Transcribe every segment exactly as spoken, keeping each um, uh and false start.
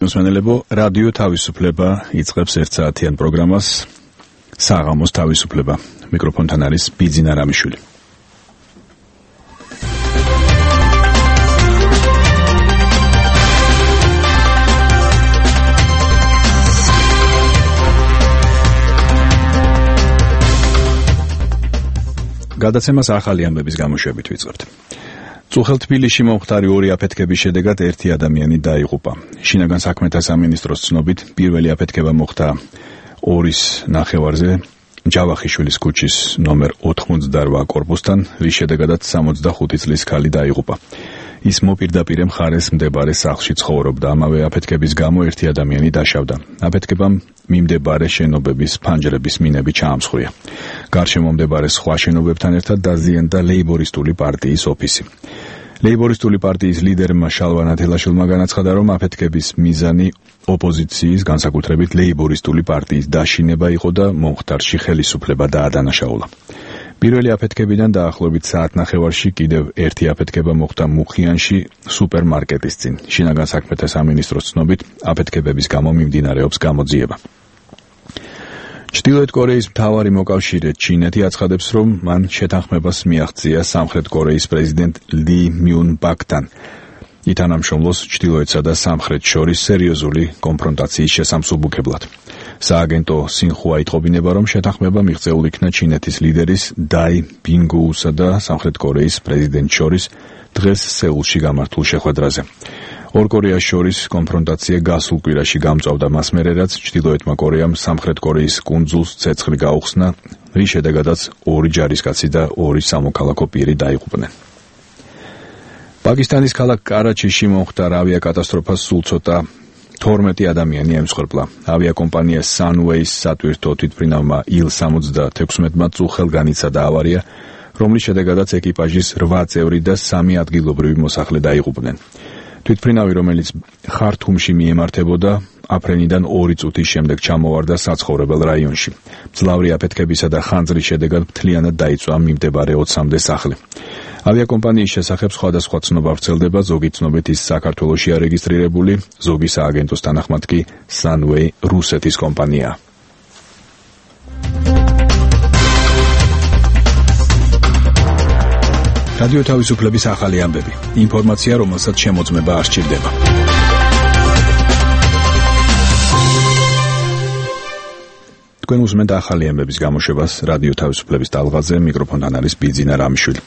მსმენელებო, რადიო თავისუფლება იწყებს ერთ საათიან პროგრამას საღამოს თავისუფლება. მიკროფონთან არის ბიძინა რამიშვილი. გადაცემას ახალი ამბების გამოშვებით ვიწყებთ. წუხელ თბილისში მომხდარი ორი აფეთქების შედეგად ერთი ადამიანი დაიღუპა. შინაგან საქმეთა სამინისტროს ცნობით, პირველი აფეთქება მოხდა ორის ნახევარზე, ჯავახიშვილის ქუჩის ნომერ ოთხმოცდარვა კორპუსთან, რის შედეგადაც სამოცდახუთი წლის ქალი დაიღუპა. ის მოპირდაპირე მხარეს მდებარე სახლში ცხოვრობდა. ამავე აფეთქების გამო ერთი ადამიანი დაშავდა. აფეთქებამ მიმდებარე შენობების ფანჯრების მინები ჩაამსხვრია. გარშემო მდებარე სხვა შენობებთან ერთად დაზიანდა ლეიბორისტული პარტიის ოფისი. ლეიბორისტული პარტიის ლიდერმა შალვა ნათელაშვილმა განაცხადა, რომ აფეთქების მიზანი ოპოზიციის, განსაკუთრებით ლეიბორისტული პარტიის დაშინება იყო და მომხდარში ხელისუფლება დაადანაშაულა. პირველი აფეთქებიდან დაახლოებით საათნახევარში კიდევ ერთი აფეთქება მოხდა მუხიანში სუპერმარკეტის წინ. შინაგან საქმეთა სამინისტროს ცნობით, აფეთქებების გამო მიმდინარეობს გამოძიება. ჩრდილოეთ კორეის მთავარი მოკავშირე ჩინეთი აცხადებს, რომ მან შეთანხმებას მიაღწია სამხრეთ კორეის პრეზიდენტ ლი მიუნ ბაკთან. ითანამშრომლოს ჩრდილოეთსა და სამხრეთს შორის სერიოზული კონფრონტაციის შესამსუბუქებლად. სააგენტო სინხუა იტყობინება, რომ შეთანხმება მიღწეულ იქნა ჩინეთის ლიდერის დაი ბინგუუსა და სამხრეთ კორეის პრეზიდენტს შორის დღეს სეულში გამართულ შეხვედრაზე. ორ კორეას შორის კონფრონტაცია გასულ კვირაში გამწვავდა მას მერე, რაც ჩრდილოეთმა კორეამ სამხრეთ კორეის კუნძულს ცეცხლი გაუხსნა, რის შედეგადაც ორი ჯარისკაცი და ორი სამოქალაქო პირი დაიღუპნენ. პაკისტანის ქალაქ კარაჩიში მომხდარ ავიაკატასტროფას სულ ცოტა თორმეტი ადამიანი ემსხვერპლა. ავიაკომპანია Sunways სატვირთო თვითმფრინავმა ილ სამოცდათექვსმეტმა წუხელ განიცადა ავარია, რომლის შედეგადაც ეკიპაჟის რვა წევრი და სამი ადგილობრივი მოსახლე დაიღუპნენ. თვითმფრინავი, რომელიც ხართუმში მიემართებოდა, აფრენიდან ორი წუთის შემდეგ ჩამოვარდა საცხოვრებელ რაიონში. მძლავრი აფეთქებისა და ხანძრის შედეგად მთლიანად დაიწვა მიმდებარე ოცამდე სახლი. ავიაკომპანიის შესახებ სხვადასხვა ცნობა ვრცელდება, ზოგი ცნობით ის საქართველოშია რეგისტრირებული, ზოგი სააგენტოს თანახმად კი Sunway რუსეთის კომპანიაა. რადიო თავისუფლების ახალი ამბები. ინფორმაცია, რომელსაც შემოწმება არ სჭირდება. თქვენ უსმენთ ახალი ამბების გამოშვებას რადიო თავისუფლების ტალღაზე, მიკროფონთან არის ბიძინა რამიშვილი.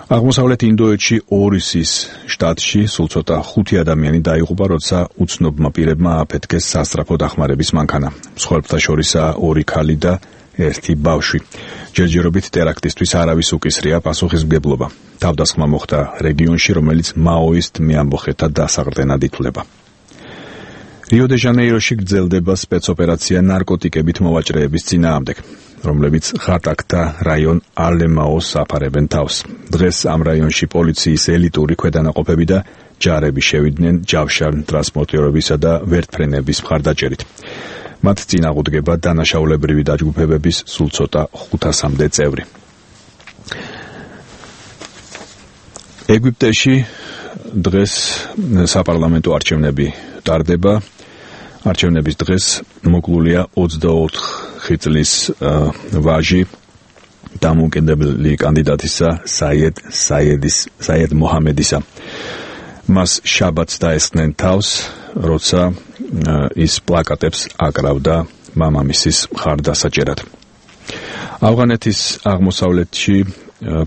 აღმოსავლეთ ინდოეთში ორისის შტატში სულ ცოტა ხუთი ადამიანი დაიღუპა, როცა უცნობმა პირებმა აფეთქეს სასწრაფო დახმარების მანქანა. მსხვერპლთა შორისაა ორი ქალი და ერთი ბავშვი. ჯერჯერობით ტერაქტისთვის არავის უკისრია პასუხისმგებლობა. თავდასხმა მოხდა რეგიონში, რომელიც მაოისტ მეამბოხეთა დასაყრდენად ითვლება. რიო-დე-ჟანეიროში გრძელდება სპეცოპერაცია ნარკოტიკებით მოვაჭრეების წინააღმდეგ, რომლებიც ხატაკთა რაიონ ალემაოს აფარებენ თავს. დღეს ამ რაიონში პოლიციის ელიტური ქვედანაყოფები და ჯარები შევიდნენ ჯავშან ტრანსპორტირებისა და ვერტფრენების მხარდაჭერით. მათ წინ აღუდგება დანაშაულებრივი დაჯგუფებების სულ ცოტა ხუთასამდე წევრი. ეგვიპტეში დღეს საპარლამენტო არჩევნები ტარდება. არჩევნების დღეს მოკლულია ოცდაოთხი წლის ვაჟი დამოუკიდებელი კანდიდატისა საიედ საიედის საიედ მოჰამედისა. მას შაბათს დაესხნენ თავს, როცა ის პლაკატებს აკრავდა მამამისის მხარდასაჭერად. ავღანეთის აღმოსავლეთში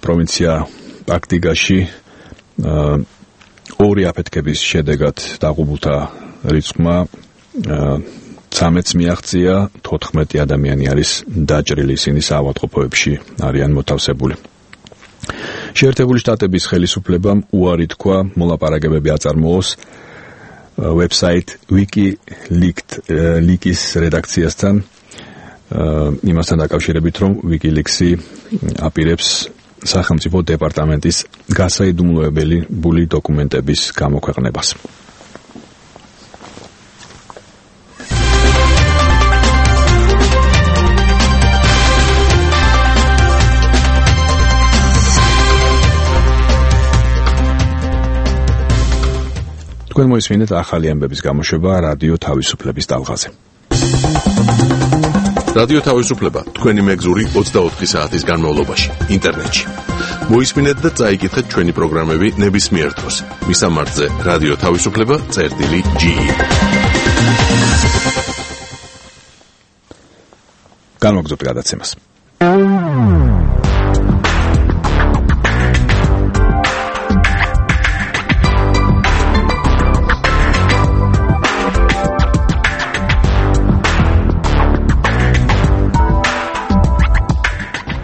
პროვინცია პაქტიგაში ორი აფეთქების შედეგად დაღუპულთა რიცხვმა ცამეტს მიაღწია, თოთხმეტი ადამიანი არის დაჭრილი, ისინი საავადმყოფოებში არიან მოთავსებული. შეერთებული შტატების ხელისუფლებამ უარი თქვა მოლაპარაკებები აწარმოოს ვებსაიტ WikiLeaks-ის რედაქციასთან, იმასთან დაკავშირებით, რომ WikiLeaks-ი აპირებს სახელმწიფო დეპარტამენტის გასაიდუმლოებელი დოკუმენტების გამოქვეყნებას. თქვენ მოისმინეთ ახალი ამბების გამოშვება რადიო თავისუფლების ტალღაზე. რადიო თავისუფლება თქვენი მეგზური ოცდაოთხი საათის განმავლობაში ინტერნეტში. მოისმინეთ და წაიკითხეთ ჩვენი პროგრამები ნებისმიერ დროს. მისამართზე რადიო თავისუფლება წერტილი ჯი. განვაგრძობთ გადაცემას.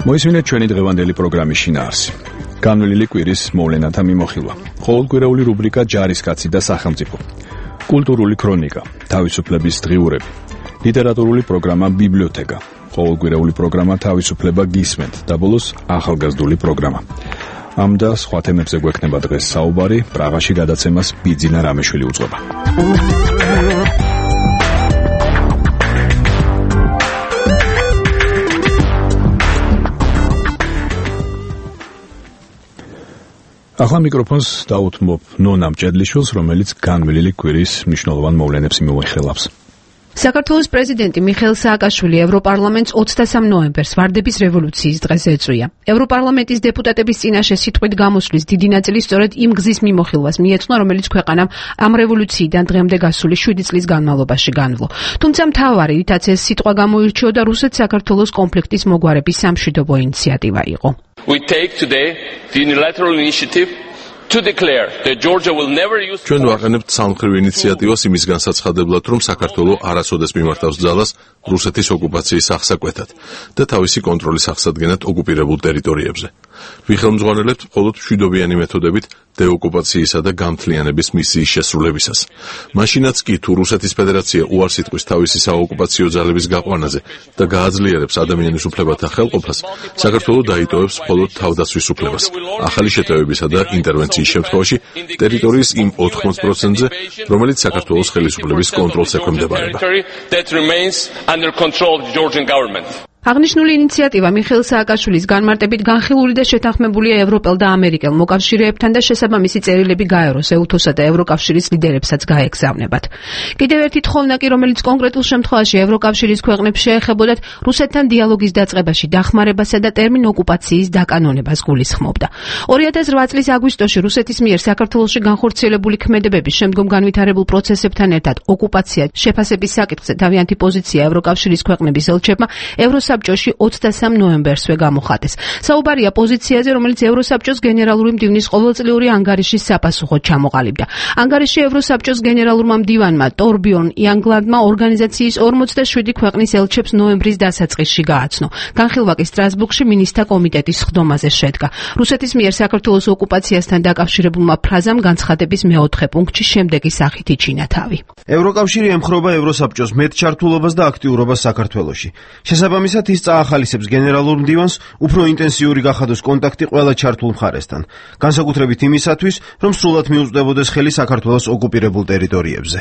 მოისმინეთ ჩვენი დღევანდელი პროგრამის შინაარსი. განვლილი კვირის მოვლენათა მიმოხილვა. ყოველკვირეული რუბრიკა ჯარისკაცი და სახელმწიფო. კულტურული ქრონიკა, თავისუფლების დღიურები. ლიტერატურული პროგრამა ბიბლიოთეკა. ყოველკვირეული პროგრამა თავისუფლება გისმენთ და ბოლოს ახალგაზრდული პროგრამა. ამ და სხვა თემებზე გვექნება დღეს საუბარი, პრაღაში გადაცემას ბიძინა რამეშვილი უძღვება. ახლა მიკროფონს დაუთმობ ნონა მჭედლიშვილს, რომელიც განვლილი კვირის მნიშვნელოვან მოვლენებს მიმოიხილავს. საქართველოს პრეზიდენტი მიხეილ სააკაშვილი ევროპარლამენტს ოცდასამ ნოემბერს ვარდების რევოლუციის დღეს ეწვია. ევროპარლამენტის დეპუტატების წინაშე სიტყვით გამოსვლის დიდი ნაწილი სწორედ იმ გზის მიმოხილვას მიეძღვნა, რომელიც ქვეყანამ ამ რევოლუციიდან დღემდე გასული შვიდი წლის განმავლობაში განვლო. თუმცა მთავარი, რითაც ეს სიტყვა გამოირჩეოდა, რუსეთ-საქართველოს კონფლიქტის მოგვარების სამშვიდობო ინიციატივა იყო. We take today the unilateral initiative to declare that Georgia will never use ჩვენ ვაყენებთ სამმხრივ ინიციატივას იმის განსაცხადებლად, რომ საქართველო არასოდეს მიმართავს ძალას რუსეთის ოკუპაციის აღსაკვეთად და თავისი კონტროლის აღსადგენად ოკუპირებულ ტერიტორიებზე. ვიხელმძღვანელებთ მხოლოდ მშვიდობიანი მეთოდებით დეოკუპაციისა და გამთლიანების მისიის შესრულებისას. მაშინაც კი თუ რუსეთის ფედერაცია უარს იტყვის თავისი საოკუპაციო ძალების გაყვანაზე და გააძლიერებს ადამიანის უფლებათა ხელყოფას, საქართველო დაიტოვებს მხოლოდ თავდაცვის უფლებას. ახალი შეტევებისა და ინტერვენციის შემთხვევაში ტერიტორიის იმ ოთხმოც პროცენტზე, რომელიც საქართველოს ხელისუფლების კონტროლს ექვემდებარება. აღნიშნული ინიციატივა მიხეილ სააკაშვილის განმარტებით განხილული და შეთანხმებულია ევროპელ და ამერიკელ მოკავშირეებთან და შესაბამისი წერილები გაეროს, ეუთოსა და ევროკავშირის ლიდერებსაც გაეგზავნებათ. კიდევ ერთი თხოვნაკი, რომელიც კონკრეტულ შემთხვევაში ევროკავშირის ქვეყნებს შეეხებოდათ, რუსეთთან დიალოგის დაწყებაში დახმარებასა და ტერმინ ოკუპაციის დაკანონებას გულისხმობდა. ორი ათას რვა წლის აგვისტოში რუსეთის მიერ საქართველოში განხორციელებული ქმედებების შემდგომ განვითარებულ პროცესებთან ერთად ოკუპაცია შეფასების საკითხზე თავიანთი პოზიცია ევროკავშირის ქვეყნების ელჩებმა ევროსაბჭოში ოცდასამ ნოემბერსვე გამოხატეს. საუბარია პოზიციაზე, რომელიც ევროსაბჭოს გენერალური მდივნის ყოველწლიური ანგარიშის საპასუხოდ ჩამოყალიბდა. ანგარიში ევროსაბჭოს გენერალურმა მდივანმა ტორბიორნ იანგლანდმა ორგანიზაციის ორმოცდაშვიდი ქვეყნის ელჩებს ნოემბრის დასაწყისში გააცნო. განხილვა კი სტრასბურგში მინისტრთა კომიტეტის სხდომაზე შედგა. რუსეთის მიერ საქართველოს ოკუპაციასთან დაკავშირებულმა ფრაზამ განცხადების მეოთხე პუნქტში შემდეგი სახით იჩინა თავი. ევროკავშირი ემხრობა ევროსაბჭოს მეტჩართულობას და აქტიურობას საქართველოში. შესაბამისად ის წაახალისებს გენერალურ მდივანს უფრო ინტენსიური გახადოს კონტაქტი ყველა ჩართულ მხარესთან, განსაკუთრებით იმისათვის, რომ სრულად მიუწვდებოდეს ხელი საქართველოს ოკუპირებულ ტერიტორიებზე.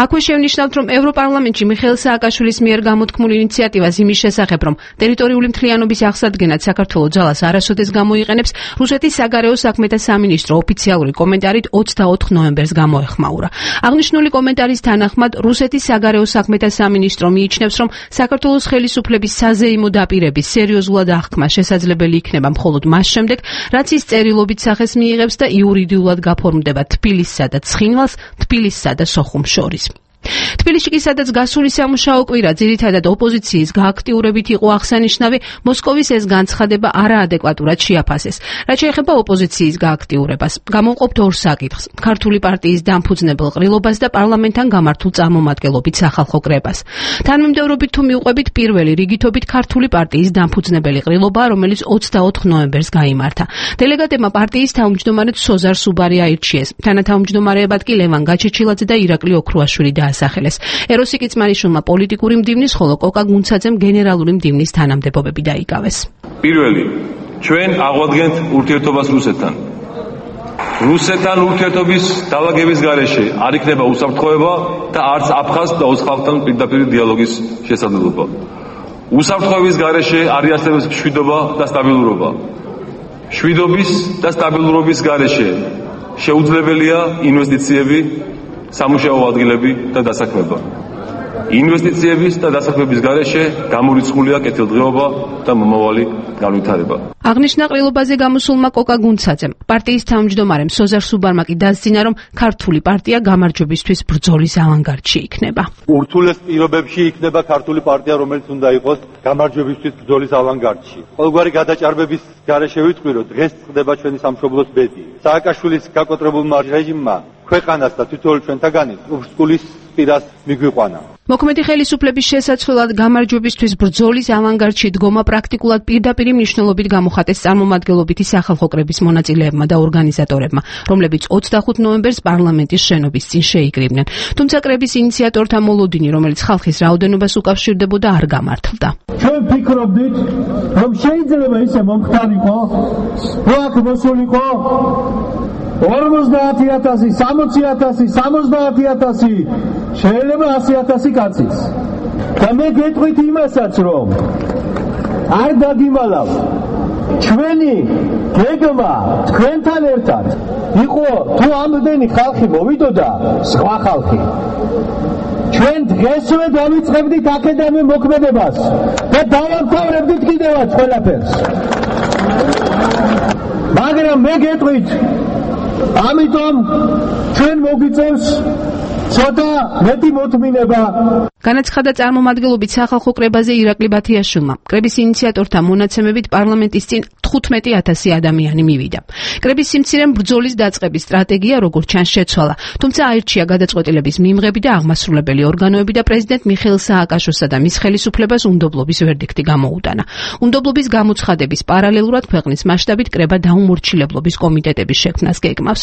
აქვე შევნიშნავთ, რომ ევროპარლამენტში მიხეილ სააკაშვილის მიერ გამოთქმული ინიციატივას იმის შესახებ, რომ ტერიტორიული მთლიანობის აღსადგენად საქართველოს ძალას არასოდეს გამოიყენებს, რუსეთის საგარეო საქმეთა სამინისტრო ოფიციალური კომენტარით ოცდაოთხ ნოემბერს გამოეხმაურა. აღნიშნული კომენტარის თანახმად, რუსეთის საგარეო საქმეთა სამინისტრო მიიჩნევს, რომ საქართველოს ხელისუფლების საზეიმო დაპირების სერიოზულად აღქმა შესაძლებელი იქნება მხოლოდ მას შემდეგ, რაც ის წერილობით სახეს მიიღებს და იურიდიულად გაფორმდება თბილისსა და ცხინვალს, თბილისსა და სოხუმს შორის. თბილისში კი სადაც გასული სამუშაო კვირა ძირითადად ოპოზიციის გააქტიურებით იყო აღსანიშნავი, მოსკოვის ეს განცხადება არაადეკვატურად შეაფასეს. რაც შეეხება ოპოზიციის გააქტიურებას, გამოვყოფთ ორ საკითხს: ქართული პარტიის დამფუძნებელ ყრილობას და პარლამენტთან გამართულ წარმომადგენლობით სახალხო კრებას. თანმიმდევრობით თუ მიუყვებით, პირველი რიგითობით ქართული პარტიის დამფუძნებელი ყრილობა, რომელიც ოცდაოთხ ნოემბერს გაიმართა. დელეგატებმა პარტიის თავმჯდომარედ სოზარ სუბარი აირჩიეს. თანათავმჯდომარეებად კი ლევან გაჩეჩილაძე და ირაკლი ოქრუაშვილი დაასახელეს. ეროსი კიცმანიშვილმა პოლიტიკური მდივნის, ხოლო კოკა გუნცაძემ გენერალური მდივნის თანამდებობები დაიკავეს. პირველი, ჩვენ აღვადგენთ ურთიერთობას რუსეთთან. რუსეთთან ურთიერთობის დაალაგების გარეშე არ იქნება უსაფრთხოება და არც აფხაზ და ოც ხალხთან პირდაპირ დიალოგის შესაძლებლობა. უსაფრთხოების გარეშე არ იარსებებს მშვიდობა და სტაბილურობა. მშვიდობის და სტაბილურობის გარეშე შეუძლებელია ინვესტიციები, სამუშაო ადგილები და დასაქმება. ინვესტიციების და დასაქმების გარეშე გამორიცხულია კეთილდღეობა და მომავალი განვითარება. აღნიშნა ყრილობაზე გამოსულმა კოკა გუნცაძემ პარტიის თავმჯდომარემ სოზარ სუბარმა კი დასძინა, რომ ქართული პარტია გამარჯვებისთვის ბრძოლის ავანგარდში იქნება. ურთულეს პირობებში იქნება ქართული პარტია, რომელიც უნდა იყოს გამარჯვებისთვის ბრძოლის ავანგარდში. ყოველგვარი გადაჭარბების გარეშე ვიტყვი, რომ დღეს ხდება ჩვენი სამშობლოს ბედი. სააკაშვილის გაკოტრებულმა რეჟიმმა ქვეყანას და თითოეულ ჩვენთაგანით ურსკულის პირას მიგვიყვანა. მოქმედი ხელისუფლების შესაძლებლად გამარჯვებისთვის ბრძოლის ავანგარდში დგომა პრაქტიკულად პირდაპირ მნიშვნელობით გამოხატეს წარმომადგენლობითი სახალხო კრების მონაწილეებმა და ორგანიზატორებმა, რომლებიც ოცდახუთ ნოემბერს პარლამენტის შენობის წინ შეიკრიბნენ. თუმცა კრების ინიციატორთა მოლოდინი, რომელიც ხალხის რაოდენობას უკავშირდებოდა, არ გამართლდა. ჩვენ ფიქრობდით, რომ შეიძლება ისე მომხდარიყო, რომ აქ მოსულიყო ორმოცდაათი ათასი, სამოცი ათასი, სამოცდაათი ათასი, შეიძლება ასი ათასი კაცის. და მე გეტყვით იმასაც, რომ არ დაგიმალავ. ჩვენი გეგმა თქვენთან ერთად იყო, თუ ამდენი ხალხი მოვიდოდა, სხვა ხალხი. ჩვენ დღესვე დავიწყებდით აქედანვე მოქმედებას და დავამთავრებდით კიდევაც ყველაფერს. მაგრამ მე გეტყვით, ამიტომ ჩვენ მოგვიწევს ცოტა მეტი მოთმინება. განაცხადა წარმომადგენლობით სახალხო კრებაზე ირაკლი ბათიაშვილმა. კრების ინიციატორთა მონაცემებით პარლამენტის წინ თხუთმეტი ათასი ადამიანი მივიდა. კრების სიმცირემ ბრძოლის დაწყების სტრატეგია როგორც ჩანს შეცვალა, თუმცა აირჩია გადაწყვეტილების მიმღები და აღმასრულებელი ორგანოები და პრეზიდენტ მიხეილ სააკაშოსა და მის ხელისუფლებას უნდობლობის ვერდიქტი გამოუტანა. უნდობლობის გამოცხადების პარალელურად ქვეყნის მასშტაბით კრება დაუმორჩილებლობის კომიტეტების შექმნას გეგმავს.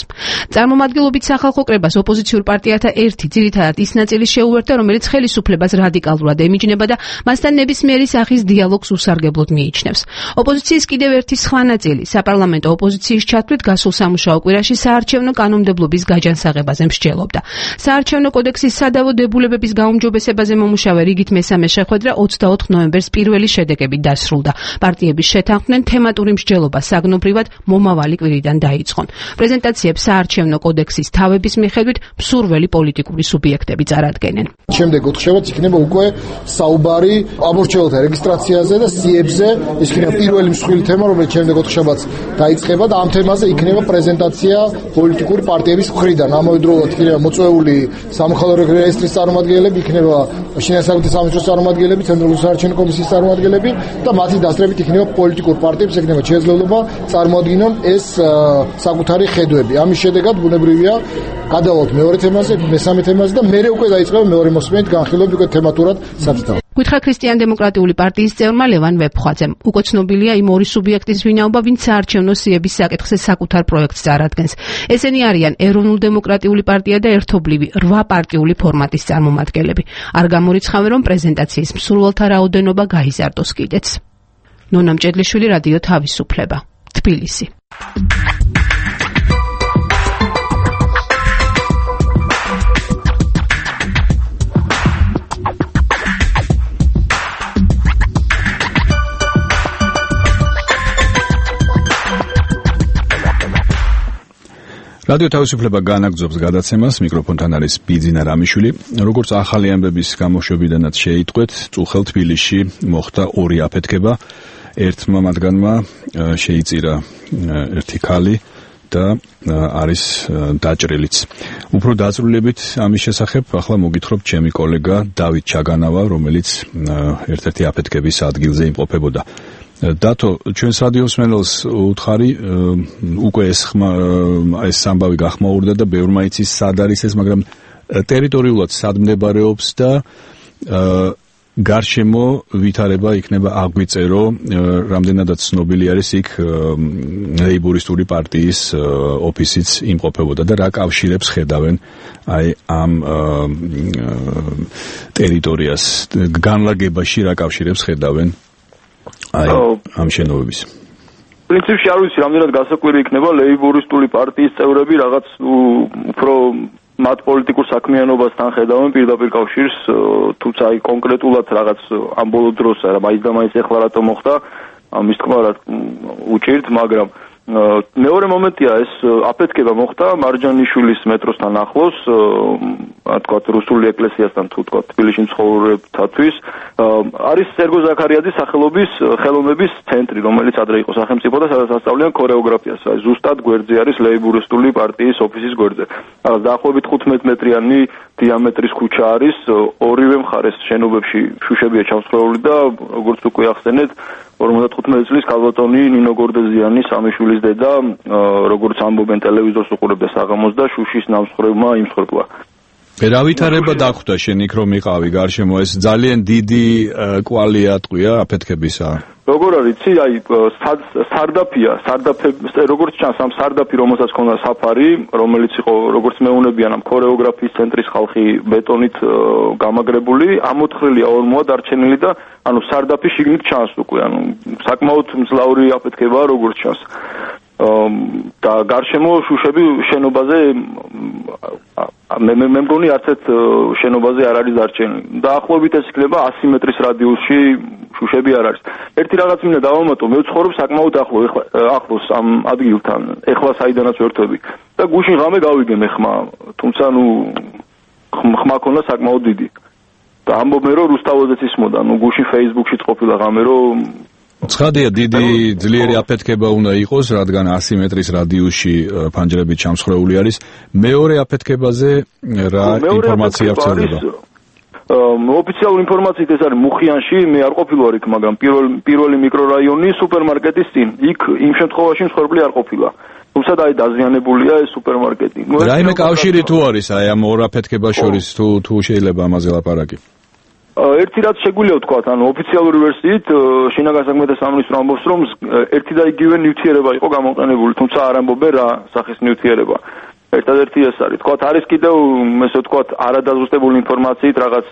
წარმომადგენლობით სახალხო კრებას ოპოზიციურ პარტიათა ერთი ძირითადად ის ნაწილი შეუერთდა, რომელიც ხელისუფლებას რადიკალურად ემიჯნება და მასთან ნებისმიერი სახის დიალოგს უსარგებლოდ მიიჩნევს. ოპოზიციის კიდევ ერთი სხვა ნაწილი საპარლამენტო ოპოზიციის ჩათვლით გასულ სამუშაო კვირაში საარჩევნო კანონმდებლობის გაჯანსაღებაზე მსჯელობდა. საარჩევნო კოდექსის სადავო დებულებების გაუმჯობესებაზე მომუშავე რიგით მესამე შეხვედრა ოცდაოთხ ნოემბერს პირველი შედეგებით დასრულდა. პარტიების შეთანხმდნენ თემატური მსჯელობა საგნობრივად მომავალი კვირიდან დაიწყონ. პრეზენტაციებს საარჩევნო კოდექსის თავების მიხედვით მსურველი პოლიტიკური სუბიექტები წარადგენენ. შემდეგ ოთხშაბათს იქნება უკვე საუბარი ამორჩეულთა რეგისტრაციაზე და სიებზე, ის იქნება პირველი მსხვილი თემა, რომელიც შემდეგ ოთხშაბათს დაიწყება და ამ თემაზე იქნება პრეზენტაცია პოლიტიკური პარტიების მხრიდან. ამავდროულად იქნება მოწვეული სამხალხო რეესტრის წარმომადგენლები, იქნება შინაგანი საქმეთა სამინისტროს წარმომადგენლები, ცენტრალური საარჩევნო კომისიის წარმომადგენლები და მათი დასწრებით იქნება პოლიტიკურ პარტიებს იქნება შესაძლებლობა წარმოადგინონ ეს საკუთარი ხედვები. ამის შედეგად ბუნებრივია გადავალთ მეორე თემაზე, მესამე თემაზე და მერე უკვე დაიწყება მეორე მოსმენით განხილვები უკვე თემატურად სათითაოდ. გითხრა ქრისტიან-დემოკრატიული პარტიის წევრმა ლევან ვეფხვაძემ. უკვე ცნობილია იმ ორი სუბიექტის ვინაობა, ვინც საარჩევნო სიების საკითხზე საკუთარ პროექტს წარადგენს. ესენი არიან ეროვნულ-დემოკრატიული პარტია და ერთობლივი რვა პარტიული ფორმატის წარმომადგენლები. არ გამორიცხავენ, რომ პრეზენტაციის მსურველთა რაოდენობა გაიზარდოს კიდეც. ნონა მჭედლიშვილი, რადიო თავისუფლება, თბილისი. რადიო თავისუფლება განაგრძობს გადაცემას, მიკროფონთან არის ბიძინა რამიშვილი. როგორც ახალი ამბების გამოშვებიდანაც შეიტყვეთ, წუხელ თბილისში მოხდა ორი აფეთქება. ერთმა მათგანმა შეიწირა ერთი ქალი და არის დაჭრილიც. უფრო დაწვრილებით ამის შესახებ ახლა მოგითხრობ ჩემი კოლეგა დავით ჩაგანავა, რომელიც ერთ-ერთი აფეთქების ადგილზე იმყოფებოდა. დათო, ჩვენს რადიოს მენელს უთხარი, უკვე ეს ეს ამბავი გახმაურდა და ბევრმა იცის სად არის ეს, მაგრამ ტერიტორიულად სად მდებარეობს და გარშემო ვითარება იქნება აგვიწერო, რამდენადაც ცნობილი არის იქ ლეიბორისტული პარტიის ოფისიც იმყოფებოდა და რა კავშირებს ხედავენ აი ამ ტერიტორიას, განლაგებაში რა კავშირებს ხედავენ აი ამ შენობების. პრინციპში არ ვიცი, რამდენად გასაკვირი იქნება ლეიბორისტული პარტიის წევრები რაღაც უფრო მათ პოლიტიკურ საქმიანობასთან ხედავენ პირდაპირ კავშირს, თუმცა აი კონკრეტულად რაღაც ამ ბოლო დროს რა მაინც და მაინც ეხლა რატომ მოხდა, ამის თქმა რა უჭირთ, მაგრამ მეორე მომენტია ეს აფეთქება მოხდა მარჯანიშვილის მეტროსთან ახლოს, თქვათ რუსული ეკლესიასთან თუ თქვათ თბილისში მცხოვრებთათვის. არის სერგო ზაქარიაძის სახელობის ხელოვნების ცენტრი, რომელიც ადრე იყო სახელმწიფო და სადაც ასწავლიან ქორეოგრაფიას. ზუსტად გვერდზე არის ლეიბურისტული პარტიის ოფისის გვერდზე. დაახლოებით ხუთმეტ მეტრიანი დიამეტრის ქუჩა არის, ორივე მხარეს შენობებში შუშებია ჩამსხვრეული და როგორც უკვე ახსენეთ, ორმოცდათხუთმეტი წლის ქალბატონი ნინო გორდეზიანი სამიშვილის დედა, როგორც ამბობენ ტელევიზორს უყურებდა საღამოს და შუშის ნამსხვრევმა იმსხვერპლა. რა ვითარება დახვდა შენ იქ რომ იყავი გარშემო, ეს ძალიან დიდი კვალია ტყვია აფეთქებისა? როგორ არის, იცი, აი სარდაფია, სარდაფე, როგორც ჩანს, ამ სარდაფი, რომელსაც ქონდა საფარი, რომელიც იყო, როგორც მეუნებიან, ამ ქორეოგრაფიის ცენტრის ხალხი ბეტონით გამაგრებული, ამოთხრილია ორმოა დარჩენილი და ანუ სარდაფი შიგნით ჩანს უკვე, ანუ საკმაოდ მძლავრი აფეთქებაა, როგორც ჩანს. და გარშემო შუშები შენობაზე მე მე მგონი არც ერთ შენობაზე არ არის დარჩენილი. დაახლოებით ეს იქნება ასი მეტრის რადიუსში შუშები არ არის. ერთი რაღაც მინდა დავამატო, მე ვცხოვრობ საკმაოდ ახლო, ახლოს ამ ადგილთან, ეხლა საიდანაც ვერთვები. და გუშინ ღამე გავიგე მე ხმა, თუმცა ნუ ხმა ქონდა საკმაოდ დიდი. და ამბობენ რომ რუსთავოზეც ისმოდა, ნუ გუშინ Facebook-შიც ყოფილა ღამე რომ ცხადია დიდი ძლიერი აფეთქება უნდა იყოს, რადგან ასი მეტრის რადიუსში ფანჯრები ჩამსხვრეული არის. მეორე აფეთქებაზე რა ინფორმაცია ვრცელდება? ოფიციალური ინფორმაციით ეს არის მუხიანში, მე არ ყოფილვარ იქ, მაგრამ პირველი პირველი მიკრორაიონი სუპერმარკეტის წინ. იქ იმ შემთხვევაში მსხვერპლი არ ყოფილა. თუმცა და აი დაზიანებულია ეს სუპერმარკეტი. რაიმე კავშირი თუ არის აი ამ ორ აფეთქებას შორის, თუ თუ შეიძლება ამაზე ლაპარაკი? ერთი რაც შეგვიძლია ვთქვათ, ანუ ოფიციალური ვერსიით შინაგან საქმეთა სამინისტრო ამბობს, რომ ერთი და იგივე ნივთიერება იყო გამოყენებული, თუმცა არ ამბობენ რა სახის ნივთიერება. ერთადერთი ეს არის. თქვათ, არის კიდევ, ესე ვთქვათ, არადაზუსტებული ინფორმაციით რაღაც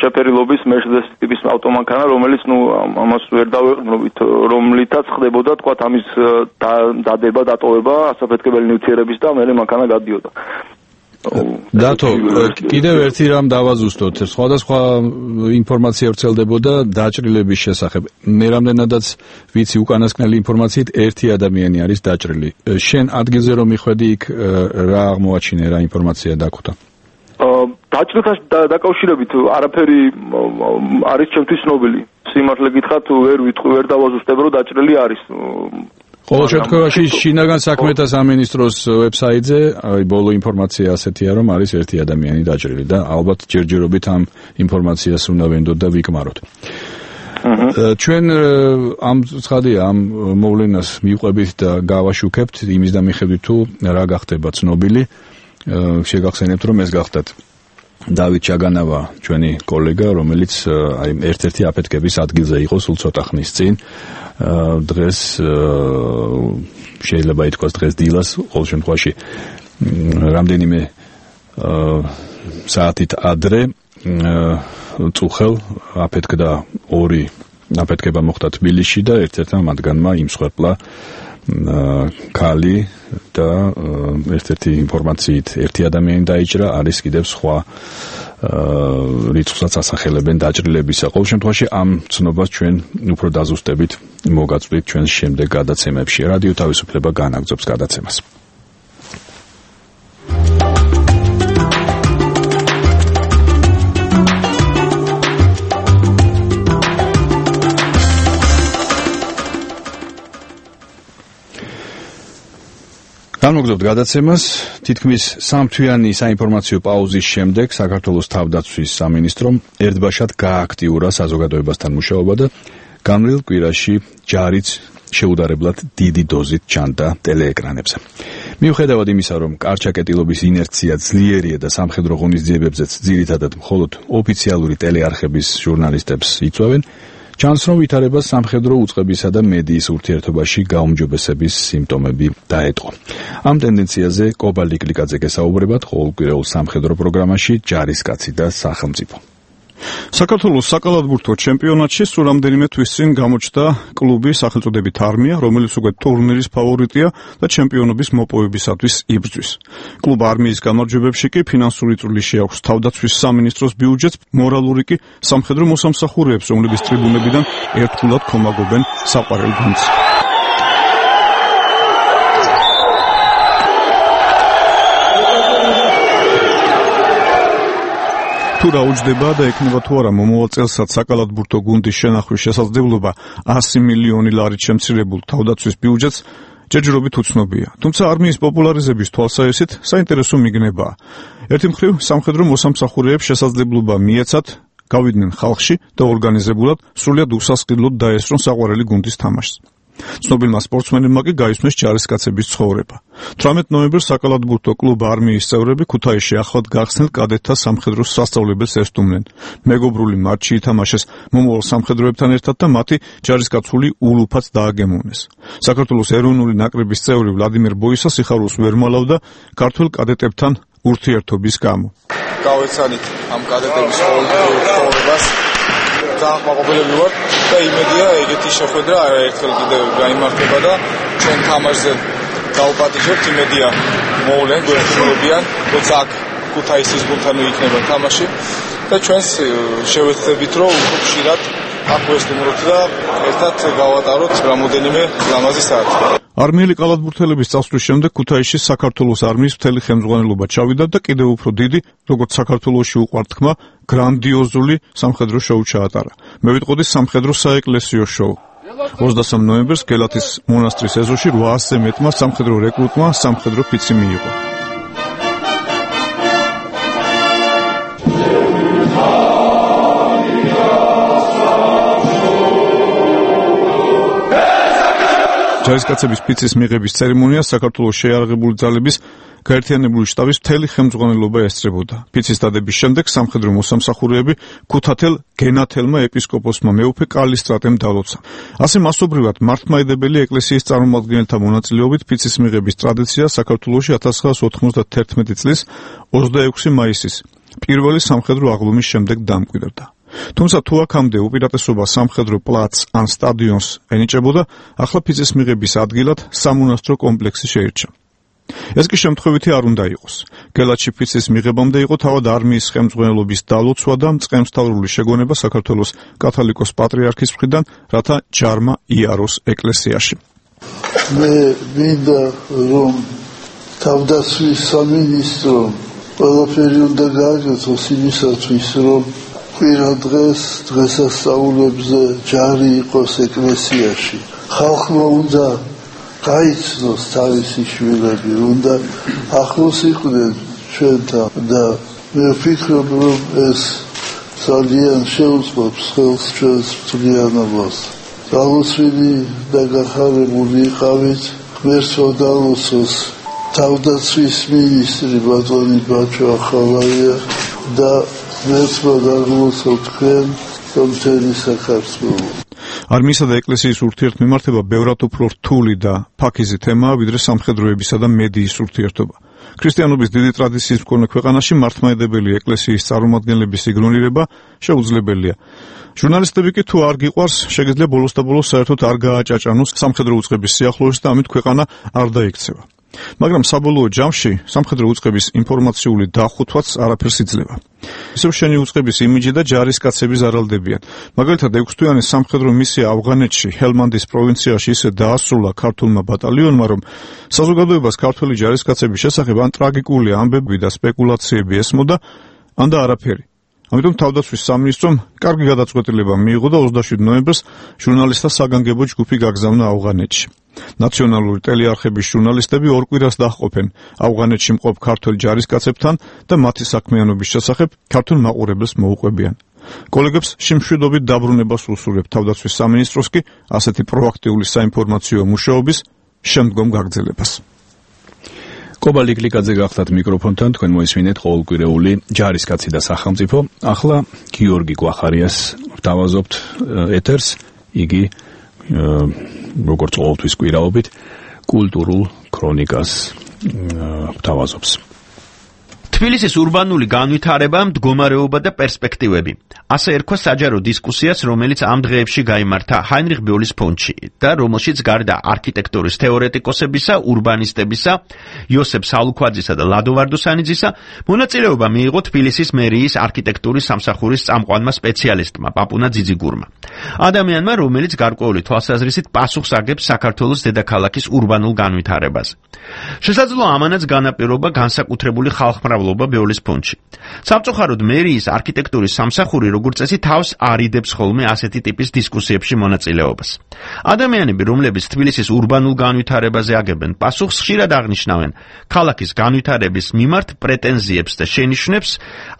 შეფერილობის Mercedes ტიპის ავტომანქანა, რომელიც ნუ ამას ვერ დავეყრდნობით, რომლითაც ხდებოდა, თქვათ, ამის დადება, დატოვება ასაფეთქებელი ნივთიერების და მერე მანქანა გადიოდა. დათო, კიდევ ერთი რამ დავაზუსტოთ. სხვადასხვა ინფორმაცია ვრცელდებოდა დაჭრილების შესახებ. მე რამდენადაც ვიცი უკანასკნელი ინფორმაციით ერთი ადამიანი არის დაჭრილი. შენ ადგილზე რომ მიხვედი იქ რა აღმოაჩინე, რა ინფორმაცია დაგვხვდა? დაჭრილთან დაკავშირებით არაფერი არის ჩემთვის ცნობილი. სიმართლე გითხრათ, ვერ ვიტყვი, ვერ დავაზუსტებ, რომ დაჭრილი არის. ყოველ შემთხვევაში შინაგან საქმეთა სამინისტროს ვებსაიტზე აი ბოლო ინფორმაცია ასეთია, რომ არის ერთი ადამიანი დაჭრილი და ალბათ ჯერჯერობით ამ ინფორმაციას უნდა ვენდოთ და ვიკმაროთ. ჩვენ ამ ცხადია ამ მოვლენას მივყვებით და გავაშუქებთ იმის და მიხედვით თუ რა გახდება ცნობილი. შეგახსენებთ რომ ეს გახდათ დავით ჩაგანავა, ჩვენი კოლეგა, რომელიც აი ერთ-ერთი აფეთქების ადგილზე იყო სულ ცოტა ხნის წინ. დღეს შეიძლება ითქვას დღეს დილას, ყოველ შემთხვევაში რამდენიმე საათით ადრე წუხელ აფეთქდა ორი აფეთქება მოხდა თბილისში და ერთ-ერთმა მათგანმა იმსხვერპლა ქალი და ერთ-ერთი ინფორმაციით ერთი ადამიანი დაიჭრა, არის კიდევ სხვა რიცხვსაც ასახელებენ დაჭრილებისა. ყოველ შემთხვევაში ამ ცნობას ჩვენ უფრო დაზუსტებით მოგაწვდით ჩვენს შემდეგ გადაცემებში. რადიო თავისუფლება განაგრძობს გადაცემას. გამოგზავნოთ გადაცემას. თითქმის სამთვიანი საინფორმაციო პაუზის შემდეგ საქართველოს თავდაცვის სამინისტრომ ერთბაშად გააქტიურა საზოგადოებასთან მუშაობა და განვლილ კვირაში ჯარიც შეუდარებლად დიდი დოზით ჩანდა ტელეეკრანებზე. მიუხედავად იმისა, რომ კარჩაკეტილობის ინერცია ძლიერია და სამხედრო ღონისძიებებზეც ძირითადად მხოლოდ ოფიციალური ტელეარხების ჟურნალისტებს იწვევენ, ჩანს, რომ ვითარება სამხედრო უწყებისა და მედიის ურთიერთობაში გაუმჯობესების სიმპტომები დაეტყო. ამ ტენდენციაზე კობა ლიკლიკაძე გესაუბრებათ ყოველკვირეულ სამხედრო პროგრამაში ჯარისკაცი და სახელმწიფო. საქართველოს საკალათბურთო ჩემპიონატში სულ რამდენიმე თვის წინ გამოჩნდა კლუბი სახელწოდებით არმია, რომელიც უკვე ტურნირის ფავორიტია და ჩემპიონობის მოპოვებისათვის იბრძვის. კლუბ არმიის გამარჯვებებში კი ფინანსური წვლილი აქვს თავდაცვის სამინისტროს ბიუჯეტს, მორალური კი სამხედრო მოსამსახურეებს, რომლებიც ტრიბუნებიდან ერთგულად ქომაგობენ საყვარელ გუნდს. თუ რა უჯდება და ექნება თუ არა მომავალ წელსაც საკალათბურთო გუნდის შენახვის შესაძლებლობა one hundred მილიონი ლარით შემცირებულ თავდაცვის ბიუჯეტს ჯერჯერობით უცნობია. თუმცა არმიის პოპულარიზების თვალსაჩინოდ საინტერესო მიგნებაა. ერთი მხრივ სამხედრო მოსამსახურეებს შესაძლებლობა მიეცათ გავიდნენ ხალხში და ორგანიზებულად სრულად უსასყიდლოდ დაესწრონ საყვარელი გუნდის თამაშს. ცნობილმა სპორტსმენებმა კი გაისმეს ჯარისკაცების ცხოვრება. თვრამეტ ნოემბერს საკალათბურთო კლუბ არმიის წევრები ქუთაისში ახლად გახსნილ კადეტთა სამხედრო სასწავლებელს ესტუმნენ. მეგობრული მატჩი ითამაშეს მომავალ სამხედროებთან ერთად და მათი ჯარისკაცული ულუფაც დააგემოვნეს. საქართველოს ეროვნული ნაკრების წევრი ვლადიმერ ბოისა სიხარულს ვერ მალავდა ქართველ კადეტებთან ურთიერთობის გამო. გავეცანით ამ კადეტების ცხოვრებას დაახმაყოფილებული ვარ და იმედია ეგეთი შეხვედრა არაერთხელ კიდევ გაიმართება და ჩვენ თამაშზე დავპატიჟებთ, იმედია მოვლენ გვერდილებიან, როცა აქ ქუთაისის გუნდთან იქნება თამაში და ჩვენს შევეცდებით რომ უფრო ხშირად აქ ვესტუმროთ და ერთად გავატაროთ რამოდენიმე ლამაზი საათი. არმიელი კალათბურთელების წასვლის შემდეგ ქუთაისში საქართველოს არმიის მთელი ხელმძღვანელობა ჩავიდა და კიდევ უფრო დიდი, როგორც საქართველოში უყვართ თქმა, გრანდიოზული სამხედრო შოუ ჩაატარა. მე ვიტყოდი სამხედრო საეკლესიო შოუ. ოცდასამ ნოემბერს გელათის მონასტრის ეზოში რვაასზე მეტმა სამხედრო რეკრუტმა სამხედრო ფიცი მიიღო. ჯარისკაცების ფიცის მიღების ცერემონიას საქართველოს შეიარაღებული ძალების გაერთიანებული შტაბის მთელი ხელმძღვანელობა ესწრებოდა. ფიცის დადების შემდეგ სამხედრო მოსამსახურეები ქუთათელ გენათელმა ეპისკოპოსმა მეუფე კალისტრატემ დალოცა. ასე მასობრივად მართლმადიდებელი ეკლესიის წარმომადგენელთა მონაწილეობით ფიცის მიღების ტრადიცია საქართველოში one thousand nine hundred ninety-one წლის ოცდაექვსი მაისის პირველი სამხედრო აღლუმის შემდეგ დამკვიდრდა. თუმცა თუ აქამდე უპირატესობა სამხედრო პლაცს ან სტადიონს ენიჭებოდა, ახლა ფიცის მიღების ადგილად სამონასტრო კომპლექსი შეირჩა. ეს კი შემთხვევითი არ უნდა იყოს. გელათში ფიცის მიღებამდე იყო თავად არმიის ხელმძღვანელობის დალოცვა და მწყემსთავრული შეგონება საქართველოს კათოლიკოს პატრიარქის მხრიდან, რათა ჯარმა იაროს ეკლესიაში. მე მინდა რომ თავდაცვის სამინისტრო ყველაფერი უნდა გააკეთოს იმისათვის, რომ კვირა დღეს დღესასწაულებზე ჯარი იყოს ეკლესიაში. ხალხმა უნდა გაიცნოს თავისი შვილები, უნდა ახლოს იყვნენ ჩვენთან და მე ვფიქრობ, რომ ეს ძალიან შეუწყობს ხელს ჩვენს მთლიანობას. დალოცვილი და გახარებული იყავით, ღმერთმა დალოცოს თავდაცვის მინისტრი ბატონი ბაჩო ახალაია და ღმერთმა დაგლოცოთ თქვენ და მთელი საქართველო. არმიისა და ეკლესიის ურთიერთმემართება ბევრად უფრო რთული და ფაქიზი თემაა, ვიდრე სამხედროებისა და მედიის ურთიერთობა. ქრისტიანობის დიდი ტრადიციის მქონე ქვეყანაში მართლმადიდებელი ეკლესიის წარმომადგენლების იგნორირება შეუძლებელია. ჟურნალისტები კი თუ არ გიყვარს, შეგიძლია ბოლოს და ბოლოს საერთოდ არ გააჭაჭანოს სამხედრო უწყების სიახლოვეს და ამით ქვეყანა არ დაიქცევა. მაგრამ საბოლოო ჯამში სამხედრო უწყების ინფორმაციული დახუთვაც არაფერს იძლევა. ისევ შენი უწყების იმიჯი და ჯარისკაცები ზარალდებიან. მაგალითად, ექვსთვიანი სამხედრო მისია ავღანეთში, ჰელმანდის პროვინციაში ისე დაასრულა ქართულმა ბატალიონმა, რომ საზოგადოებას ქართველი ჯარისკაცების შესახებ ან ტრაგიკული ამბები და სპეკულაციები ესმოდა, ან და არაფერი. ამიტომ თავდაცვის სამინისტრომ კარგი გადაწყვეტილება მიიღო და ოცდაშვიდ ნოემბერს ჟურნალისტთა საგანგებო ჯგუფი გაგზავნა ავღანეთში. ნაციონალური ტელეარხების ჟურნალისტები ორ კვირას დაჰყოფენ ავღანეთში მყოფ ქართველ ჯარისკაცებთან და მათი საქმიანობის შესახებ ქართულ მაყურებელს მოუყვებიან. კოლეგებს შიმშვიდობით დაბრუნებას უსურვებ თავდაცვის სამინისტროს კი ასეთი პროაქტიული საინფორმაციო მუშაობის შემდგომ გაგრძელებას. კობა ლიკლიკაძე გახდათ მიკროფონთან, თქვენ მოისმინეთ ყოველკვირეული ჯარისკაცი და სახელმწიფო. ახლა გიორგი გვახარიას ვთავაზობთ ეთერს, იგი როგორც ყოველთვის კვირაობით კულტურულ ქრონიკას ვთავაზობს. თბილისის ურბანული განვითარება, მდგომარეობა და პერსპექტივები. ასე ერქვა საჯარო დისკუსიას, რომელიც ამ დღეებში გაიმართა ჰაინრიხ ბიოლის ფონდში და რომელშიც გარდა არქიტექტურის თეორეტიკოსებისა, ურბანისტებისა, იოსებ სალუქვაძისა და ლადო ვარდუსანიძისა, მონაწილეობა მიიღო თბილისის მერიის არქიტექტურის სამსახურის წამყვანმა სპეციალისტმა პაპუნა ძიძიგურმა. ადამიანმა, რომელიც გარკვეული თვალსაზრისით პასუხს აგებს საქართველოს დედაქალაქის ურბანულ განვითარებას. შესაძლოა ამანაც განაპირობა განსაკუთრებული ხალხმრავ სწავლობა ბეოლის ფონდში. სამწუხაროდ მერიის არქიტექტურის სამსახური როგორც წესი თავს არიდებს ხოლმე ასეთი ტიპის დისკუსიებში მონაწილეობას. ადამიანები, რომლებიც თბილისის ურბანულ განვითარებაზე აგებენ პასუხს, ხშირად აღნიშნავენ ქალაქის განვითარების მიმართ პრეტენზიებს და შენიშვნებს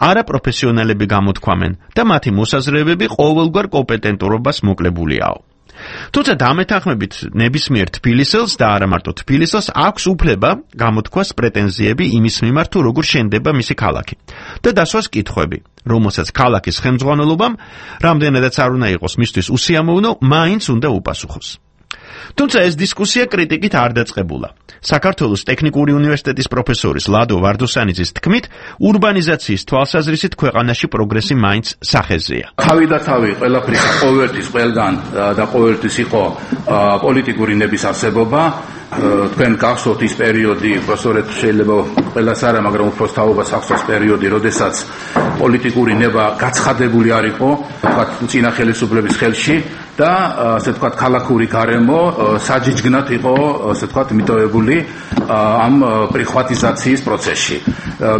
არაპროფესიონალები გამოთქვამენ და მათი მოსაზრებები ყოველგვარ კომპეტენტურობას მოკლებულია. თუმცა დამეთანხმებით ნებისმიერ თბილისელს და არა მარტო თბილისელს აქვს უფლება გამოთქვას პრეტენზიები იმის მიმართ, თუ როგორ შენდება მისი ქალაქი და დასვას კითხვები, რომელსაც ქალაქის ხელმძღვანელობამ, რამდენადაც არ უნდა იყოს მისთვის უსიამოვნო, მაინც უნდა უპასუხოს. თუმცა ეს დისკუსია კრიტიკით არ დაწყებულა. საქართველოს ტექნიკური უნივერსიტეტის პროფესორის ლადო ვარდოსანიძის თქმით, ურბანიზაციის თვალსაზრისით ქვეყანაში პროგრესი მაინც სახეზეა. თავი და თავი ყველაფრის ყოველთვის ყველგან და ყოველთვის იყო პოლიტიკური ნების არსებობა. თქვენ გახსოვთ ის პერიოდი, პროფესორეთ შეიძლება ყველას არა, მაგრამ უფრო თაობას ახსოვს პერიოდი, როდესაც პოლიტიკური ნება გაცხადებული არ იყო, თქვათ წინა ხელისუფლების ხელში და ასე თქვათ ქალაქური გარემო საჯიჯგნად იყო, ასე თქვათ მიტოვებული ამ პრიხვატიზაციის პროცესში.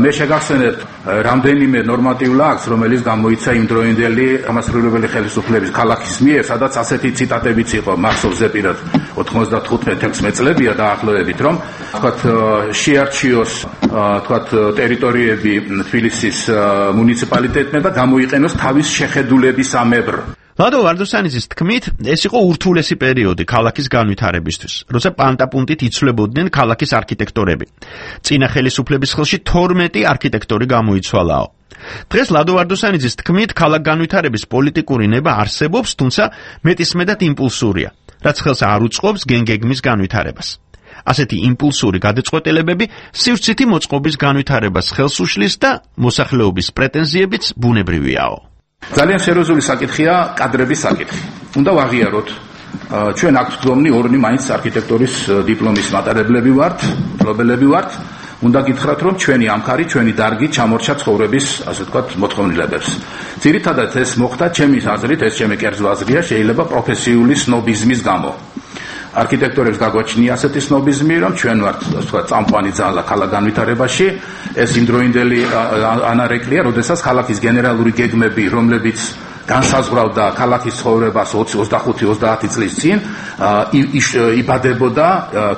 მე შეგახსენებთ რამდენიმე ნორმატიულ აქტს, რომელიც გამოიცა იმდროინდელი ამასრულებელი ხელისუფლების ქალაქის მიერ, სადაც ასეთი ციტატებიც იყო მახსოვზე პირად ოთხმოცდათხუთმეტ ექვსმეტ წლებია დაახლოებით, რომ თქვათ შეარჩიოს თქვათ ტერიტორიები თბილისის მუნიციპალიტეტმა და გამოიყენოს თავის შეხედულებისამებრ. ლადო ვარდოსანიძის თქმით, ეს იყო ურთულესი პერიოდი ქალაქის განვითარებისთვის, როცა პანტაპუნტით იცვლებოდნენ ქალაქის არქიტექტორები. წინა ხელისუფლების ხელში თორმეტი არქიტექტორი გამოიცვალაო. დღეს ლადო ვარდოსანიძის თქმით, ქალაქ განვითარების პოლიტიკური ნება არსებობს, თუმცა მეტისმეტად იმპულსურია, რაც ხელს არ უწყობს გენგეგმის განვითარებას. ასეთი იმპულსური გადაწყვეტილებები სივრცითი მოწყობის განვითარებას ხელს უშლის და მოსახლეობის პრეტენზიებიც ბუნებრივიაო. ძალიან სერიოზული საკითხია კადრების საკითხი. უნდა ვაღიაროთ, ჩვენ აქ გვდომნი ორნი მაინც არქიტექტურის დიპლომის მატარებლები ვართ, მფლობელები ვართ. უნდა გითხრათ, რომ ჩვენი ამქარი, ჩვენი დარგი ჩამორჩა ცხოვრების, ასე ვთქვათ, მოთხოვნილებებს. ძირითადად ეს მოხდა ჩემი აზრით, ეს ჩემი კერძო აზრია, შეიძლება პროფესიული სნობიზმის გამო. არქიტექტორებს გაგვაჩნია ასეთი სნობიზმი, რომ ჩვენ ვართ, ასე ვთქვათ, წამყვანი ძალა ქალაქ განვითარებაში. ეს იმდროინდელი ანარეკლია, როდესაც ქალაქის გენერალური გეგმები, რომლებიც განსაზღვრავდა ქალაქის ცხოვრებას ოცი, ოცდახუთი, ოცდაათი წლის წინ, იბადებოდა,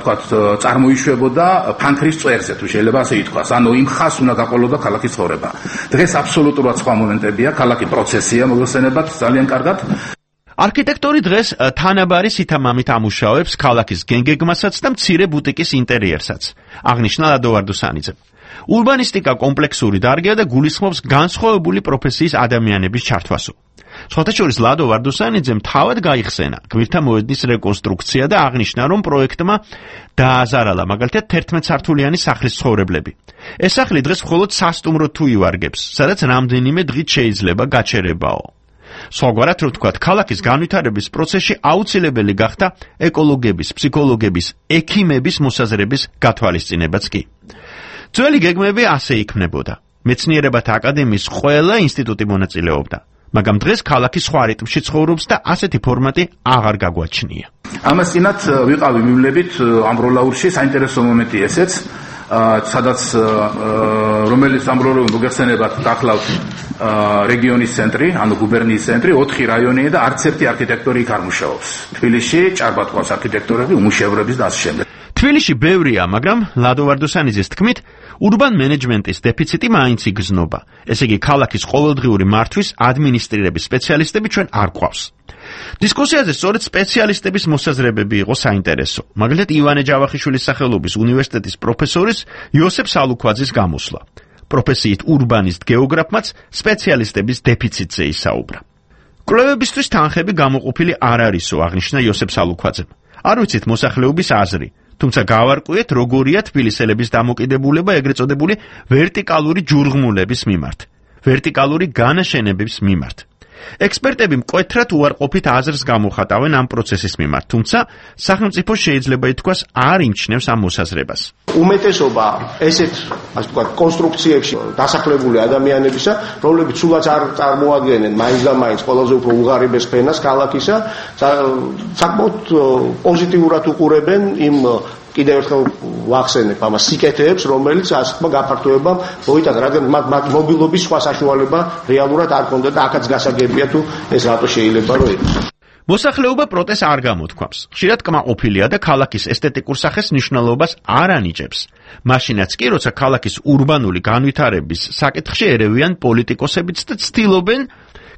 თქვათ, წარმოიშვებოდა ფანქრის წვერზე, თუ შეიძლება ასე ითქვას. ანუ იმ ხას უნდა გაყოლოდა ქალაქის ცხოვრება. დღეს აბსოლუტურად სხვა მომენტებია, ქალაქი პროცესია, მოგხსენებათ ძალიან კარგად. არქიტექტორი დღეს თანაბარი სითამამით ამუშავებს ქალაქის გენგეგმასაც და მცირე ბუტიკის ინტერიერსაც, აღნიშნა ლადო ვარდოსანიძემ. ურბანისტიკა კომპლექსური დარგია და გულისხმობს განსხვავებული პროფესიის ადამიანების ჩართვასო. სხვათა შორის ლადო ვარდოსანიძემ თავად გაიხსენა გვირთა მოედნის რეკონსტრუქცია და აღნიშნა, რომ პროექტმა დააზარალა მაგალითად თერთმეტსართულიანი სახლის ცხოვრებლები. ეს სახლი დღეს მხოლოდ სასტუმროდ თუ ივარგებს, სადაც რამდენიმე დღით შეიძლება გაჩერებაო. სხვაგვარად რო ვთქვათ, ქალაქის განვითარების პროცესში აუცილებელი გახდა ეკოლოგების, ფსიქოლოგების, ექიმების მოსაზრების გათვალისწინებაც კი. ძველი გეგმები ასე იქმნებოდა. მეცნიერებათა აკადემიის ყველა ინსტიტუტი მონაწილეობდა, მაგრამ დღეს ქალაქი სხვა რიტმში ცხოვრობს და ასეთი ფორმატი აღარ გაგვაჩნია. ამას წინათ ვიყავი მივლებით ამ როლაურში, საინტერესო მომენტი ესეც, სადაც რომელიც ამბროლო მოგეხსენებათ დახლავთ რეგიონის ცენტრი, ანუ გუბერნიის ცენტრი, ოთხი რაიონია და არც ერთი არქიტექტორი იქ არ მუშაობს. თბილისში ჭარბატყვას არქიტექტორები, უმუშევრების და ასე შემდეგ. თბილისში ბევრია, მაგრამ ლადო ვარდოსანიძის თქმით, ურბან მენეჯმენტის დეფიციტი მაინც იგრძნობა. ესე იგი, ქალაქის ყოველდღიური მართვის ადმინისტრირების სპეციალისტები ჩვენ არ გვყავს. დისკუსიაზე სწორედ სპეციალისტების მოსაზრებები იყო საინტერესო. მაგალითად, ივანე ჯავახიშვილის სახელობის უნივერსიტეტის პროფესორის იოსებ სალუქვაძის გამოსვლა. პროფესიით ურბანისტ გეოგრაფმაც სპეციალისტების დეფიციტზე ისაუბრა. კვლევებისთვის თანხები გამოყოფილი არ არისო, აღნიშნა იოსებ სალუქვაძემ. არ ვიცით მოსახლეობის აზრი, თუმცა გავარკვიეთ, როგორია თბილისელების დამოკიდებულება ეგრეთ წოდებული ვერტიკალური ჯურღმულების მიმართ, ვერტიკალური განაშენების მიმართ. ექსპერტები მკვეთრად უარყოფით აზრს გამოხატავენ ამ პროცესის მიმართ, თუმცა სახელმწიფო შეიძლება ითქვას არ იმჩნევს ამ მოსაზრებას. უმეტესობა ესეთ, ასე ვთქვათ, კონსტრუქციებში დასახლებული ადამიანებისა, რომლებიც სულაც არ წარმოადგენენ მაინც და მაინც ყველაზე უფრო უღარიბეს ფენას ქალაქისა, საკმაოდ პოზიტიურად უყურებენ იმ კიდევ ერთხელ ვახსენებ ამას სიკეთეებს, რომელიც ასე თქმა გაფართოებამ მოიტანა, რადგან მათ მობილობის სხვა საშუალება რეალურად არ ქონდა და აქაც გასაგებია თუ ეს რატო შეიძლება რომ იყოს. მოსახლეობა პროტესტს არ გამოთქვამს. ხშირად კმაყოფილია და ქალაქის ესთეტიკურ სახეს მნიშვნელობას არ ანიჭებს. მაშინაც კი, როცა ქალაქის ურბანული განვითარების საკითხში ერევიან პოლიტიკოსებიც და ცდილობენ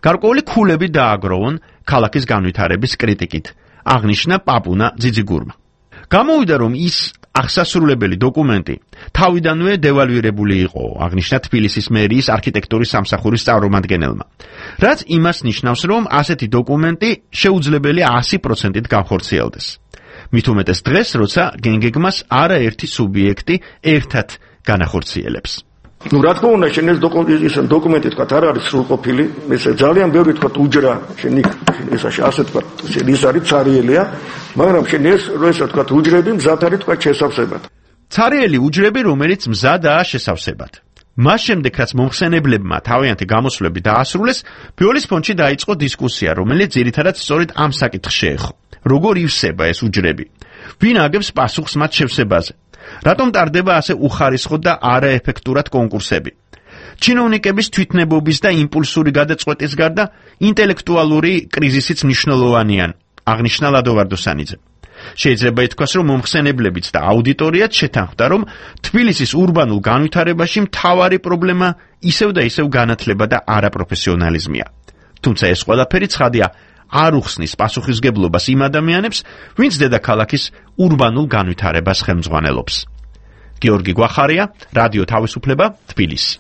გარკვეული ქულები დააგროვონ ქალაქის განვითარების კრიტიკით. აღნიშნა პაპუნა ძიძიგურმა. გამოვიდა, რომ ის აღსასრულებელი დოკუმენტი თავიდანვე დევალვირებული იყო, აღნიშნა თბილისის მერიის არქიტექტურის სამსახურის წარმომადგენელმა. რაც იმას ნიშნავს, რომ ასეთი დოკუმენტი შეუძლებელია ასი პროცენტით განხორციელდეს. მით უმეტეს დღეს, როცა გენგეგმას არაერთი სუბიექტი ერთად განახორციელებს. Ну, რა თქმა უნდა, შენ ეს დოკუმენტი თქვა არ არის სრულყოფილი, ეს ძალიან ბევრი თქვა უჯრა, შენ ეს ასე თქვა, შენ ის არის цариელია, მაგრამ შენ ეს როცა თქვა უჯრები მზად არის თქვა შესავსებად. цариელი უჯრები, რომელიც მზადაა შესავსებად. მას შემდეგ, რაც მომხსენებლებმა თავიანთი გამოსვლები დაასრულეს, ბიოლის ფონდში დაიწყო დისკუსია, რომელიც ძირითადად სწორედ ამ საკითხს შეეხო. როგორ ივსება ეს უჯრები? ვინ აგებს პასუხს მათ შევსებაზე? რატომ ტარდება ასე უხარისხოდ და არაეფექტურად კონკურსები? ჩინოვნიკების თვითნებობის და იმპულსური გადაწყვეტის გარდა ინტელექტუალური კრიზისიც მნიშვნელოვანია, აღნიშნა ლადო ვარდოსანიძე. შეიძლება ითქვას, რომ მომხსენებლებიც და აუდიტორიაც შეთანხმდა, რომ თბილისის ურბანულ განვითარებაში მთავარი პრობლემა ისევ და ისევ განათლება და არაპროფესიონალიზმია. თუმცა ეს ყველაფერი ცხადია არ უხსნის პასუხისგებლობას იმ ადამიანებს, ვინც დედაქალაქის ურბანულ განვითარებას ხელმძღვანელობს. გიორგი გვახარია, რადიო თავისუფლება, თბილისი.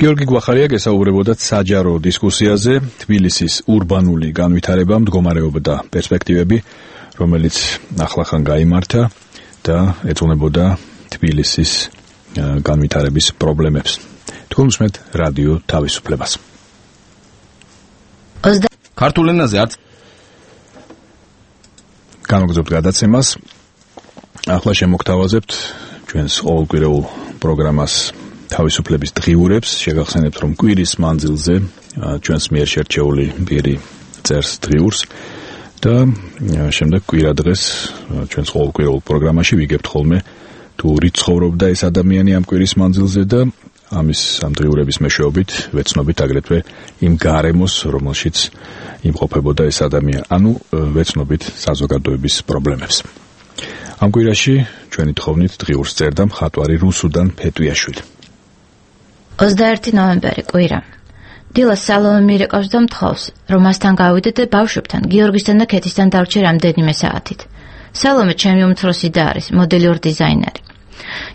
გიორგი გვახარია გესაუბრებოდა საჯარო დისკუსიაზე თბილისის ურბანული განვითარება, მდგომარეობა და პერსპექტივები, რომელიც ახლახან გაიმართა და ეძღვნებოდა თბილისის განვითარების პრობლემებს. თქვენ უსმენთ რადიო თავისუფლებას. ქართულ ენაზე არც განვაგრძობთ გადაცემას. ახლა შემოგთავაზებთ ჩვენს ყოველკვირეულ პროგრამას თავისუფლების დღიურებს. შეგახსენებთ, რომ კვირის მანძილზე ჩვენს მიერ შერჩეული ბირი წერს დღიურს და შემდეგ კვირა დღეს ჩვენს ყოველკვირეულ პროგრამაში ვიგებთ ხოლმე თუ რით ცხოვრობდა ეს ადამიანი ამ კვირის მანძილზე და ამის ამ დღიურების მეშვეობით ვეცნობით აგრეთვე იმ გარემოს, რომელშიც იმყოფებოდა ეს ადამიანი, ანუ ვეცნობით საზოგადოების პრობლემებს. ამ კვირაში ჩვენი თხოვნით დღიურს წერდა მხატვარი რუსუდან ფეტვიაშვილი. ოცდაერთი ნოემბერი კვირა. დილას სალომე მირეკავს და მთხოვს, რომ მასთან გავიდე და ბავშვებთან, გიორგისთან და ქეთისთან დავჭერ რამდენიმე საათით. სალომე ჩემი უმცროსი და არის, მოდელიორ დიზაინერი.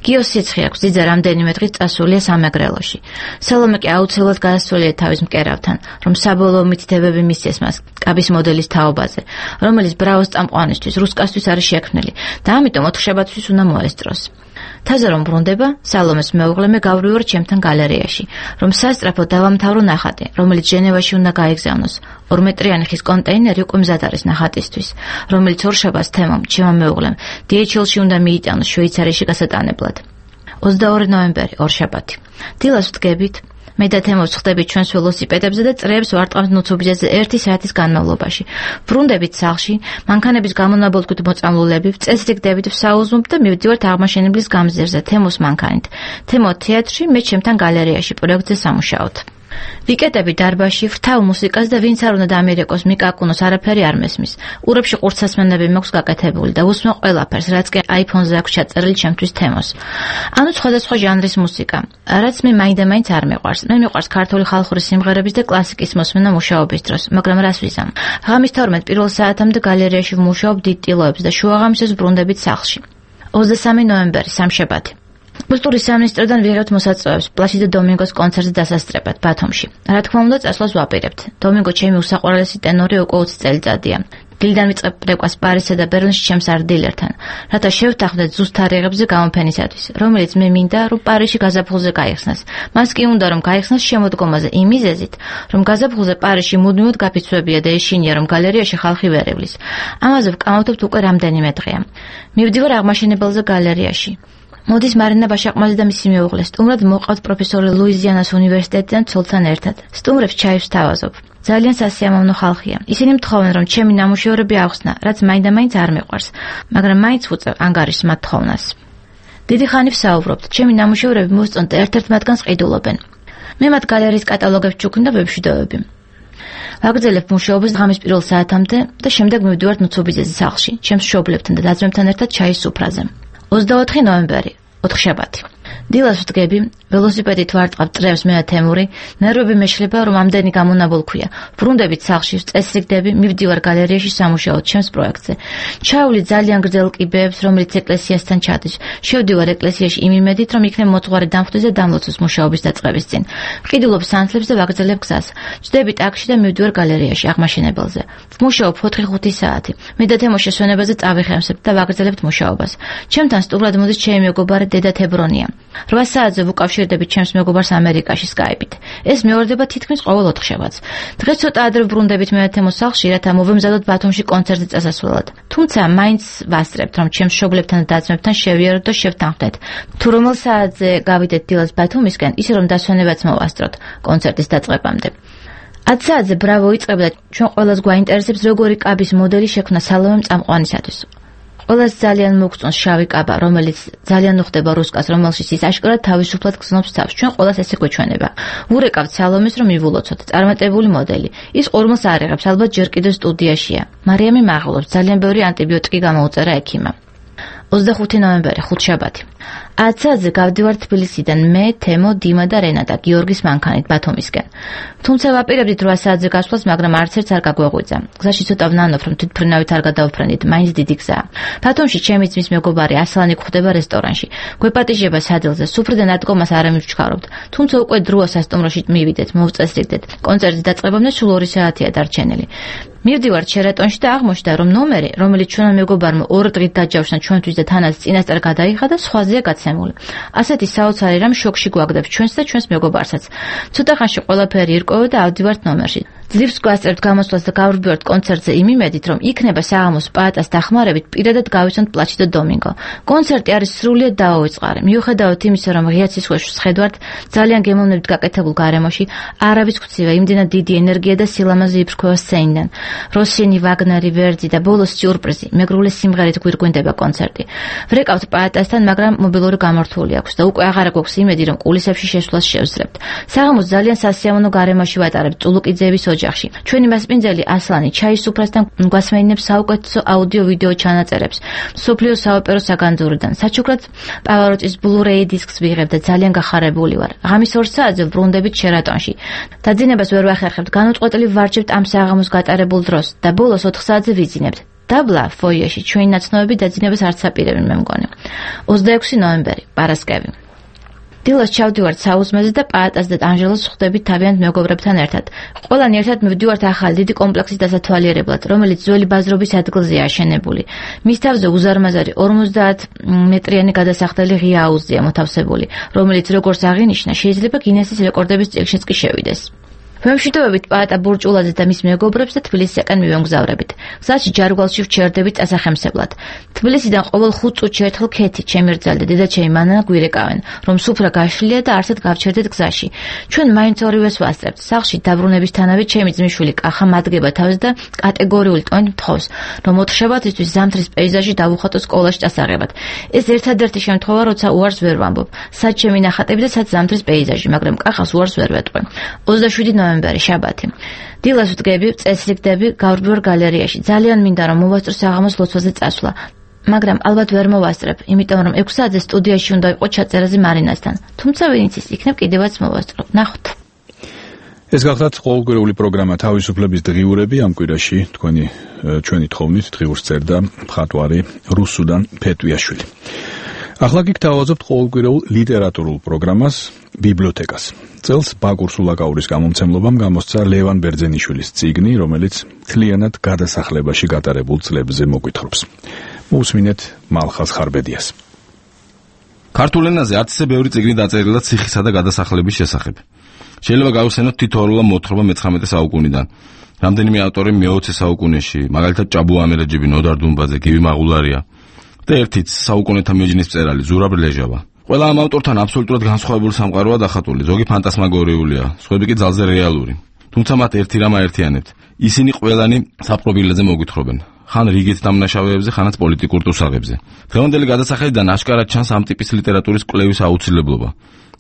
გიოს სიცხე აქვს, ძიძა რამდენიმე დღის წასულია სამეგრელოში. სალომე კი აუცილებლად გადასცვალია თავის მკერავთან, რომ საბოლოო მითითებები მისცეს მას კაბის მოდელის თაობაზე, რომელიც ბრავოს წამყვანისთვის, რუსკასთვის არის შექმნილი და ამიტომ ოთხშაბათთვის უნდა მოესწროს. თაზე რომ ბრუნდება, სალომეს მეუღლე მე გავრივარ ჩემთან გალერეაში, რომ სასწრაფო დავამთავრო ნახატი, რომელიც ჟენევაში უნდა გაიგზავნოს. ორმეტრიანი ხის კონტეინერი უკვე მზად არის ნახატისთვის, რომელიც ორშაბათს თემამ, ჩემმა მეუღლემ, დი ეიჩ ელ-ში უნდა მიიტანოს შვეიცარიაში გასატანებლად. ოცდაორი ნოემბერი, ორშაბათი. დილას ვდგებით, მე და თემო ვხდებით ჩვენს ველოსიპედებზე და წრეებს ვარტყამთ ნუცუბიძეზე ერთი საათის განმავლობაში. ბრუნდებით სახლში, მანქანების გამონაბოლქვით მოწამლულები, წესრიგდებით ვსაუზმობ და მივდივართ აღმაშენებლის გამზირზე თემოს მანქანით. თემო თეატრში, მე ჩემთან გალერეაში პროექტზე სამუშაოთ. ვიკეტები დარბაზში, ვრთავ მუსიკას და ვინც არ უნდა დამირეკოს მიკაკუნოს არაფერი არ მესმის. ყურებში ყურცასმენები მაქვს გაკეთებული და უსმენ ყველაფერს, რაც კი აიფონზე აქვს ჩაწერილი ჩემთვის თემოს. ანუ სხვადასხვა ჟანრის მუსიკა, რაც მე მაინდა-მაინც არ მეყვარს. მე მიყვარს ქართული ხალხური სიმღერების და კლასიკის მოსმენა მუშაობის დროს, მაგრამ რას ვიზამ? ღამის თორმეტ პირველ საათამდე გალერეაში ვმუშაობ დიდ ტილოებს და შუაღამისას ბრუნდებით სახლში. ოცდასამი ნოემბერი, სამშაბათი. კულტურის სამინისტროდან ვიღებთ მოსაწვევებს პლასიდო დომინგოს კონცერტზე დასასწრებად ბათუმში. რა თქმა უნდა, წასვლას ვაპირებთ. დომინგო ჩემი უსაყვარლესი ტენორი უკვე ოცი წელიწადია. დილიდან ვიწყებ პრეკვას პარიზსა და ბერლინში ჩემს არ დილერთან, რათა შევთანხმდეთ ზუსტ თარიღებზე გამოფენისათვის, რომელიც მე მინდა, რომ პარიზში გაზაფხულზე გაიხსნას. მას კი უნდა, რომ გაიხსნას შემოდგომაზე იმ მიზეზით, რომ გაზაფხულზე პარიზში მუდმივად გაფიცვებია და ეშინია, რომ გალერეაში ხალხი ვერ ევლის. ამაზე ვკამავთებთ უკვე რამდენიმე დღეა. მივდივარ აღმაშენებელზე გალერეაში. მოდის მარინა ბაშაყმაძე და მისი მეუღლე სტუმრად მოყავთ პროფესორი ლუიზიანას უნივერსიტეტიდან ცოლთან ერთად. სტუმრებს ჩაის ვთავაზობ. ძალიან სასიამოვნო ხალხია. ისინი მთხოვენ, რომ ჩემი ნამუშევრები ავხსნა, რაც მაინდა-მაინც არ მიყვარს, მაგრამ მაინც ვუწევ ანგარიშს მათ თხოვნას. დიდი ხანი ვსაუბრობთ, ჩემი ნამუშევრები მოსწონთ და ერთ-ერთ მათგანს ყიდულობენ. მე მათ გალერეის კატალოგებს ჩუქნ და ვებშვიდობები. ვაგრძელებ მუშაობას ღამის პირველ საათამდე და შემდეგ მივდივართ ნუცობიძეს სახლში, ჩემს მშობლებთან და დაძმებთან ერთად ჩაის სუფრაზე. ოცდაოთხი ნოემბერი, ოთხშაბათი. დილას ვდგები, ველოსიპედით ვარტყავ წრევს მე და თემური, ნერვები მეშლება, რომ ამდენი გამონაბოლ ქვია. ბრუნდებით სახლში, წესრიგდები, მივდივარ გალერეაში სამუშაოდ ჩემს პროექტზე. ჩავვლი ძალიან გრძელ კიბეებს, რომელიც ეკლესიასთან ჩადის. შევდივარ ეკლესიაში იმ იმედით, რომ იქნებ მოწყარე დამხვდეს და დამლოცოს მუშაობის დაწყების წინ. ვყიდულობ სანთლებს და ვაგრძელებ გზას. ვჯდები ტაქსში და მივდივარ გალერეაში აღმაშენებელზე. ვმუშაობ ოთხი ხუთი საათი. მე და თემო შესვენებაზე წავიხემსებ და ვაგრძელებთ მუშაობას. ჩემთან სტუმრად მოდის ჩემი მეგობარი დედა თებრონია. რვა საათზე ვუკავშირდებით ჩემს მეგობარს ამერიკაში სკაიპით. ეს მეორდება თითქმის ყოველ ოთხშაბათს. დღეს ცოტა ადრე ბრუნდებით მე და თემო სახლში, რათა მოვემზადოთ ბათუმში კონცერტზე წასასვლელად. თუმცა მაინც ვასწრებთ, რომ ჩემს მშობლებთან და დაძმებთან შევიაროთ და შევთანხმდეთ. თუ რომელ საათზე გავიდეთ დილას ბათუმისკენ, ისე რომ დასვენებაც მოვასწროთ კონცერტის დაწყებამდე. ათ საათზე ბრავო იწყებდა და ჩვენ ყველას გვაინტერესებს როგორი კაბის მოდელი შექმნა სალომემ წამყვანისათვის. ყველას ძალიან მოგწონს შავი კაბა, რომელიც ძალიან უხდება რუსკას, რომელშიც ის აშკარად თავისუფლად გზნობს თავს. ჩვენ ყველას ესე გვეჩვენება. ვურეკავთ სალომეს, რომ მივულოცოთ წარმატებული მოდელი. ის ყურმელს არ იღებს, ალბათ ჯერ კიდევ სტუდიაშია. მარიამი მაღლობს, ძალიან ბევრი ანტიბიოტიკი გამოუწერა ექიმმა. ოცდახუთი ნოემბერი, ხუთშაბათი. ათ საათზე გავდივარ თბილისიდან მე, თემო, დიმა და რენატა გიორგის მანქანით ბათუმისკენ. თუმცა ვაპირებდით რვა საათზე გასვლას, მაგრამ არც ერთს არ გაგვეღვიძა. გზაში ცოტა ვნანობ, რომ თვითმფრინავით არ გადავფრენდით, მაინც დიდი გზაა. ბათუმში ჩემი ძმის მეგობარი ასლანი გვხვდება რესტორანში. გვეპატიჟება სადილზე, სუფრიდან ადგომას არ ამივჩქარობთ. თუმცა უკვე დროა სასტუმროში მივიდეთ, მოვწესრიგდეთ. კონცერტის დაწყებამდე სულ ორი საათია დარჩენილი. მივდივართ შერატონში და აღმოჩნდა, რომ ნომერი, რომელიც ჩვენმა მეგობარმა ორ დღით დაჯავშნა ჩვენთვის და თანაც წინასწარ გადაიხადა, სხვაზეა გაცემული. ასეთი საოცარი რამ შოკში გვაგდებს ჩვენს და ჩვენს მეგობარსაც. ცოტა ხანში ყველაფერი ირკვევა და ავდივართ ნომერში. ძლივს გვასწრებთ გამოსვლას და გავრბივართ კონცერტზე იმ იმედით, რომ იქნება საღამოს პაატას დახმარებით პირადად გავიცნობთ პლაჩიდო დომინგო. კონცერტი არის სრულიად დაუვიწყარი. მიუხედავად იმისა, რომ ღია ცისხვეშს ხედავთ ძალიან გემოვნებით გაკეთებულ გარემოში, არავის გწივა იმდენად დიდი ენერგია და სილამაზე იფრქვევა სცენიდან. როსინი, ვაგნერი, ვერძი და ბოლოს სიურპრიზი, მეგრული სიმღერით გვირგვინდება კონცერტი. ვრეკავთ პაატასთან, მაგრამ მობილური გამართული აქვს და უკვე აღარ გვაქვს იმედი, რომ კულისებში შესვლას შევძლებთ. საღამოს ძალიან სასიამოვნო გარემოში ვატარებთ წულუკიძეების ოჯახში. ჩვენი მასპინძელი ასლანი ჩაის სუფრასთან გვასმენინებს საუკეთესო აუდიო-ვიდეო ჩანაწერებს მსოფლიო საოპერო საგანძურიდან. საჩუქრად პავაროტის Blu-ray დისკს ვიღებ და ძალიან გახარებული ვარ. ღამის ორ საათზე ვრუნდებით შერატონში. დაძინებას ვერ ვახერხებთ, განუწყვეტლივ ვარჯებთ ამ საღამოს გატარებულ დროს და ბოლოს ოთხ საათზე ვიძინებთ. დაბლა ფოიეში ჩვენი ნაცნობები დაძინებას არც აპირებენ მე მგონი. ოცდაექვსი ნოემბერი, პარასკევი. დილას ჩავდივართ საუზმეზე და პაატას და ანჟელოს ხვდებით თავიანთ მეგობრებთან ერთად. ყველანი ერთად მივდივართ ახალი დიდი კომპლექსის დასათვალიერებლად, რომელიც ძველი ბაზრობის ადგილზეა აშენებული. მის თავზე უზარმაზარი ორმოცდაათ მეტრიანი გადასახდელი ღია აუზია მოთავსებული, რომელიც როგორც აღინიშნა, შეიძლება გინესის რეკორდების წიგნშიც კი შევიდეს. ვემშვიდობებით პაატა ბურჭულაძეს და მის მეგობრებს და თბილისისაკენ მივემგზავრებით. გზაში ჯარგვალში ვჩერდებით წასახემსებლად. თბილისიდან ყოველ ხუთ წუთში ერთხელ ქეთი, ჩემი რძალი და დედაჩემი მანანა გვირეკავენ, რომ სუფრა გაშლილია და არსად გავჩერდეთ გზაში. ჩვენ მაინც ორივეს ვასწრებთ. სახლში დაბრუნებისთანავე ჩემი ძმისშვილი კახა მადგება თავს და კატეგორიული ტონით მთხოვს, რომ ოთხშაბათისთვის ზამთრის პეიზაჟი დავუხატო სკოლაში წასაღებად. ეს ერთადერთი შემთხვევა, როცა უარს ვერ ვამბობ. სად ჩემი ნახატები და სად ზამთრის პეიზაჟი, მაგრამ კახას უარს ვერ ვეტყვი. ოცდაშვიდი ნოემბერი, შაბათი. დილას ვდგები, წესრიგდები, გავრბივარ გალერეაში. ძალიან მინდა რომ მოვასწრო საღამოს ლოცვაზე წასვლა. მაგრამ ალბათ ვერ მოვასწრებ, იმიტომ რომ ექვს საათზე სტუდიაში უნდა ვიყო ჩაწერაზე მარინასთან. თუმცა ვინც ის იქნებ კიდევაც მოვასწრო. ნახოთ. ეს გახლავთ ყოველკვირეული პროგრამა თავისუფლების დღიურები. ამ კვირაში თქვენი ჩვენი თხოვნით დღიურს წერდა მხატვარი რუსუდან ფეტვიაშვილი. ახლა კი გთავაზობთ ყოველკვირეულ ლიტერატურულ პროგრამას ბიბლიოთეკას. წელს ბაკურ სულაკაურის გამომცემლობამ გამოსცა ლევან ბერძენიშვილის წიგნი, რომელიც მთლიანად გადასახლებაში გატარებულ წლებზე მოგვითხრობს. მოусმინეთ მალხას ხარბედიას. ქართულ ენაზე არც ისე ბევრი წიგნი დაწერილა ციხისა და გადასახლების შესახებ. შეიძლება გავხსენოთ თითოეულა მოთხრობა მეცხრამეტე საუკუნიდან. რამდენიმე ავტორი მეოცე საუკუნეში, მაგალითად ჭაბუ ამერეჯიბი, ნოდარ დუმბაძე, გივი მაღულარია. და ერთიც საუკუნეთა მეჯნის მწერალი ზურაბ ლეჟავა. ყველა ამ ავტორთან აბსოლუტურად განსხვავებული სამყაროა დახატული, ზოგი ფანტასმაგორიულია, სხვები კი ძალზე რეალური. თუმცა მათ ერთი რამ აერთიანებთ. ისინი ყველანი საპრობილეზე მოგვითხრობენ. ხან რიგით დამნაშავეებზე, ხანაც პოლიტიკურ ტუსაღებზე. დღევანდელი გადასახედიდან აშკარად ჩანს ამ ტიპის ლიტერატურის კვლევის აუცილებლობა.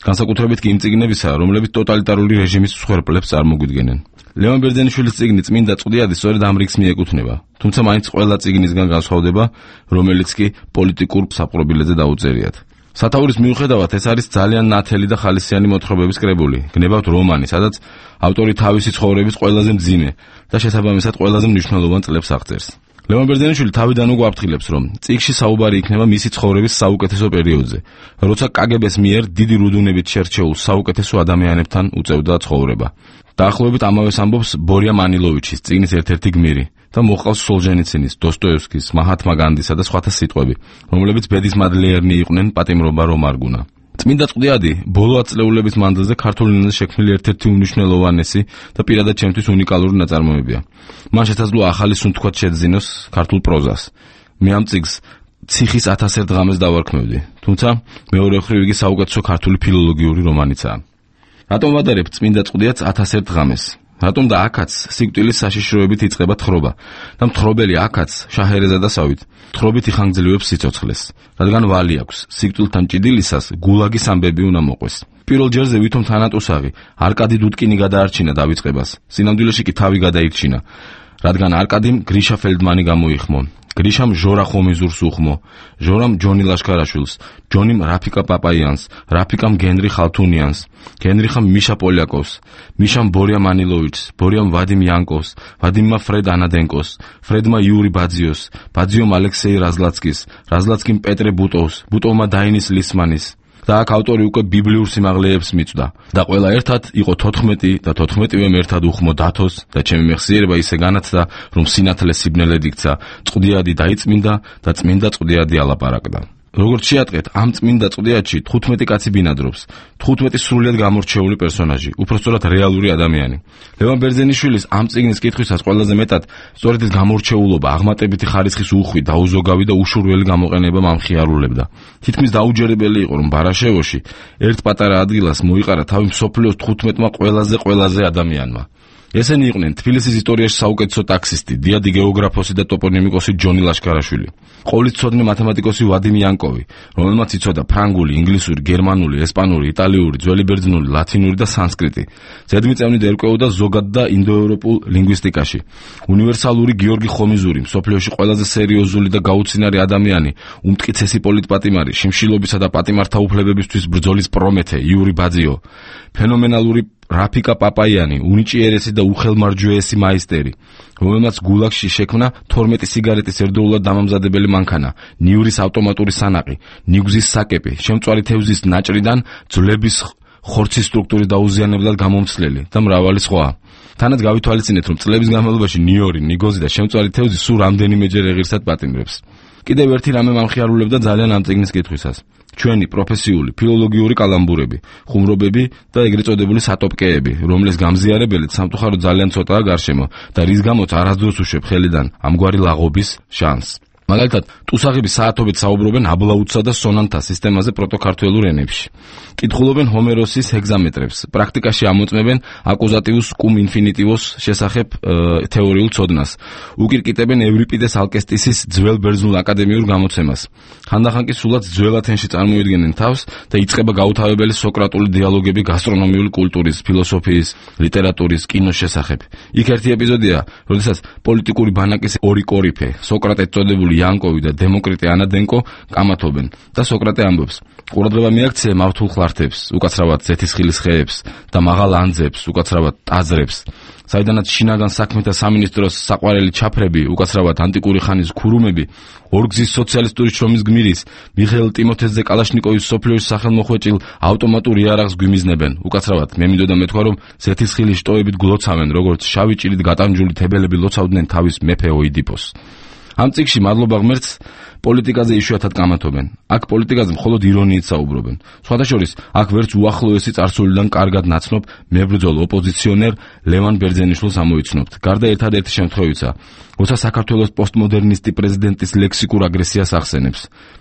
განსაკუთრებით კი იმ წიგნებისა, რომლებიც ტოტალიტარული რეჟიმის მსხვერპლებს წარმოგვიდგენენ. ლევან ბერძენიშვილის წიგნი წმინდა წყვდიადი სწორედ ამ რიგს მიეკუთვნება, თუმცა მაინც ყველა წიგნისგან განსხვავდება, რომელიც კი პოლიტიკურ საპრობილეზე დაუწერიათ. სათაურის მიუხედავად ეს არის ძალიან ნათელი და ხალისიანი მოთხრობების კრებული, გნებავთ რომანი, სადაც ავტორი თავისი ცხოვრების ყველაზე მძიმე და შესაბამისად ყველაზე მნიშვნელოვან წლებს აღწერს. ლევან ბერძენიშვილი თავიდან უკვე აფრთხილებს, რომ წიგნში საუბარი იქნება მისი ცხოვრების საუკეთესო პერიოდზე, როცა კაგებეს მიერ დიდი რუდუნებით შერჩეულ საუკეთესო ადამიანებთან უწევდა ცხოვრება. დაახლოებით ამავეს ამბობს ბორია მანილოვიჩის წიგნის ერთ-ერთი გმირი და მოყავს სოლჟენიცინის, დოსტოევსკის, მაჰათმა განდისა და სხვათა სიტყვები, რომლებიც ბედის მადლიერნი იყვნენ პატიმრობა რომ არ გუნა. წმინდა წყვდიადი ბოლო ათწლეულების მანძილზე ქართულ ენაზე შექმნილი ერთ-ერთი უმნიშვნელოვანესი და პირადად ჩემთვის უნიკალური ნაწარმოებია. მან შესაძლოა ახალი სუნთქვათ შეძინოს ქართულ პროზას. მე ამ წიგნს ციხის ათასერთ ღამეს დავარქმევდი, თუმცა მეორე მხრივ იგი საუკეთესო ქართული ფილოლოგიური რომანიცაა. რატომ ვადარებ წმინდა წყვდიადს ათასერთ ღამეს? რატომ და აქაც სიკვდილის საშიშროებით იწყება თხრობა და მთხრობელი აქაც შაჰერეზადასავით თხრობით იხანგრძლივებს სიცოცხლეს, რადგან ვალი აქვს სიკვდილთან ჭიდილისას გულაგის ამბები უნდა მოყვეს. პირველ ჯერზე ვითომ თანატუსაღი არკადი დუდკინი გადაარჩინა დავიწყებას, სინამდვილეში კი თავი გადაირჩინა, რადგან არკადიმ გრიშა ფელდმანი გამოიხმო. გრიშამ ჟორა ხომიზურს უხმო, ჟორამ ჯონი ლაშქარაშვილს, ჯონიმ რაფიკა პაპაიანს, რაფიკამ გენრი ხალთუნიანს, გენრიხამ მიშა პოლიაკოვს, მიშამ ბორია მანილოვიჩს, ბორიამ ვადიმ იანკოვს, ვადიმმა ფრედ ანადენკოს, ფრედმა იური ბაძიოს, ბაძიომ ალექსეი რაზლაცკის, რაზლაცკიმ პეტრე ბუტოვს, ბუტოვმა დაინის ლისმანის. და აქ ავტორი უკვე ბიბლიურ სიმაღლეებს მიწვდა და ყველა ერთად იყო თოთხმეტი და თოთხმეტივემ ერთად უხმო დათოს და ჩემი მეხსიერება ისე განათდა, რომ სინათლე სიბნელედ იქცა, წყვდიადი დაიწმინდა და წმინდა წყვდიადი ალაპარაკდა. როგორც შეატყეთ, ამ წმინდა წყვდიადში თხუთმეტი კაცი ბინადრობს, თხუთმეტი სრულიად გამორჩეული პერსონაჟი, უпростоრად რეალური ადამიანი. ლევან ბერძენიშვილის ამ წიგნის კითხვისას ყველაზე მეტად სწორედ ეს გამორჩეულობა, აღმატებითი ხარისხის უხვი, დაუზოგავი და უშურველი გამოყენება მამხიარულებდა. თითქმის დაუჯერებელი იყო, რომ ბარაშევოში ერთ პატარა ადგილას მოიყარა თავი მსოფლიოს თხუთმეტმა ყველაზე ყველაზე ადამიანმა. ესენი იყვნენ თბილისის ისტორიაში საუკეთესო ტაქსისტი, დიადი გეოგრაფოსი და ტოპონიმიკოსი ჯონი ლაშქარაშვილი, ყოვლისმცოდნე მათემატიკოსი ვადიმ იანკოვი, რომელმაც იცოდა ფრანგული, ინგლისური, გერმანული, ესპანური, იტალიური, ძველი ბერძნული, ლათინური და სანსკრიტი. ზედმიწევნით ერკვეოდა ზოგად და ინდოევროპულ ლინგვისტიკაში. უნივერსალური გიორგი ხომიზური, მსოფლიოში ყველაზე სერიოზული და გაუცინარი ადამიანი, უმტკიცესი პოლიტპატიმარი, შიმშილობისა და პატიმართა უფლებებისთვის ბრძოლის პრომეთე, იური ბაძიო, ფენომენალური რაფიკა პაპაიანი, უნიჭიერესი და უხელმარჯვეესი მაისტერი, რომელმაც გულაგში შექმნა თორმეტი სიგარეტის ერთდროულად დამამზადებელი მანქანა, ნიურის ავტომატური სანაყი, ნიგზის საკეპი, შემწვარი თევზის ნაჭრიდან ძვლების ხორცის სტრუქტურის დაუზიანებლად გამომცლელი და მრავალი სხვა. თანაც გავითვალისწინეთ, რომ წლების განმავლობაში ნიორი, ნიგოზი და შემწვარი თევზი სულ რამდენიმეჯერ ეღირსად პატიმრებს. კიდევ ერთი რამე მამხიარულებდა ძალიან ამ წიგნის კითხვისას. ჩვენი პროფესიული, ფილოლოგიური კალამბურები, ხუმრობები და ეგრეთ წოდებული სატოპკეები, რომლის გამზიარებელიც სამწუხაროდ ძალიან ცოტაა გარშემო და რის გამოც არასდროს უშვებ ხელიდან ამგვარი ლაღობის შანსს. მაგალითად, ტუსაღები საათობით საუბრობენ აბლაუცსა და სონანთა სისტემაზე პროტოქართველურ ენებში. კითხულობენ ჰომეროსის ჰეგზამეტრებს, პრაქტიკაში ამოწმებენ აკუზატივუს კუმ ინფინიტივოს შესახებ თეორიულ ცოდნას. უკირკიტებენ ევრიპიდეს ალკესტისის ძველ ბერძნულ აკადემიურ გამოცემას. ხანდახან კი სულაც ძველ ათენში წარმოიდგენენ თავს და იწყება გაუთავებელი სოკრატული დიალოგები გასტრონომიული კულტურის, ფილოსოფიის, ლიტერატურის, კინოს შესახებ. იქ ერთი ეპიზოდია, როდესაც პოლიტიკური ბანაკის ორი კორიფე, სოკრატე წოდებული იანკოვი და დემოკრიტე ანადენკო კამათობენ და სოკრატე ამბობს: ყურადღება მიაქცია მავთულ ხლართებს, უკაცრავად ზეთისხილის ხეებს და მაღალ ანძებს, უკაცრავად ტაძრებს, საიდანაც შინაგან საქმეთა სამინისტროს საყვარელი ჩაფრები, უკაცრავად ანტიკური ხანის ქურუმები, ორგზის სოციალისტური შრომის გმირის მიხეილ ტიმოთეზე კალაშნიკოვის სოფლიოში სახელმოხვეჭილ ავტომატურ იარაღს გვიმიზნებენ, უკაცრავად მე მინდოდა მეთქვა, რომ ზეთისხილის შტოებით გლოცავენ, როგორც შავი ჭირით გატანჯული თებელები ლოცავდნენ თავის მეფე ოიდიპოს. ამ წიგნში მადლობა ღმერთს პოლიტიკაზე იშვიათად კამათობენ. აქ პოლიტიკაზე მხოლოდ ირონიით საუბრობენ. სხვათა შორის, აქ ვერც უახლოესი წარსულიდან კარგად ნაცნობ მებრძოლ ოპოზიციონერ ლევან ბერძენიშვილს ამოიცნობთ. გარდა ერთადერთი შემთხვევისა, როცა საქართველოს პოსტმოდერნისტი პრეზიდენტის ლექსიკურ აგრესიას ახსენებს.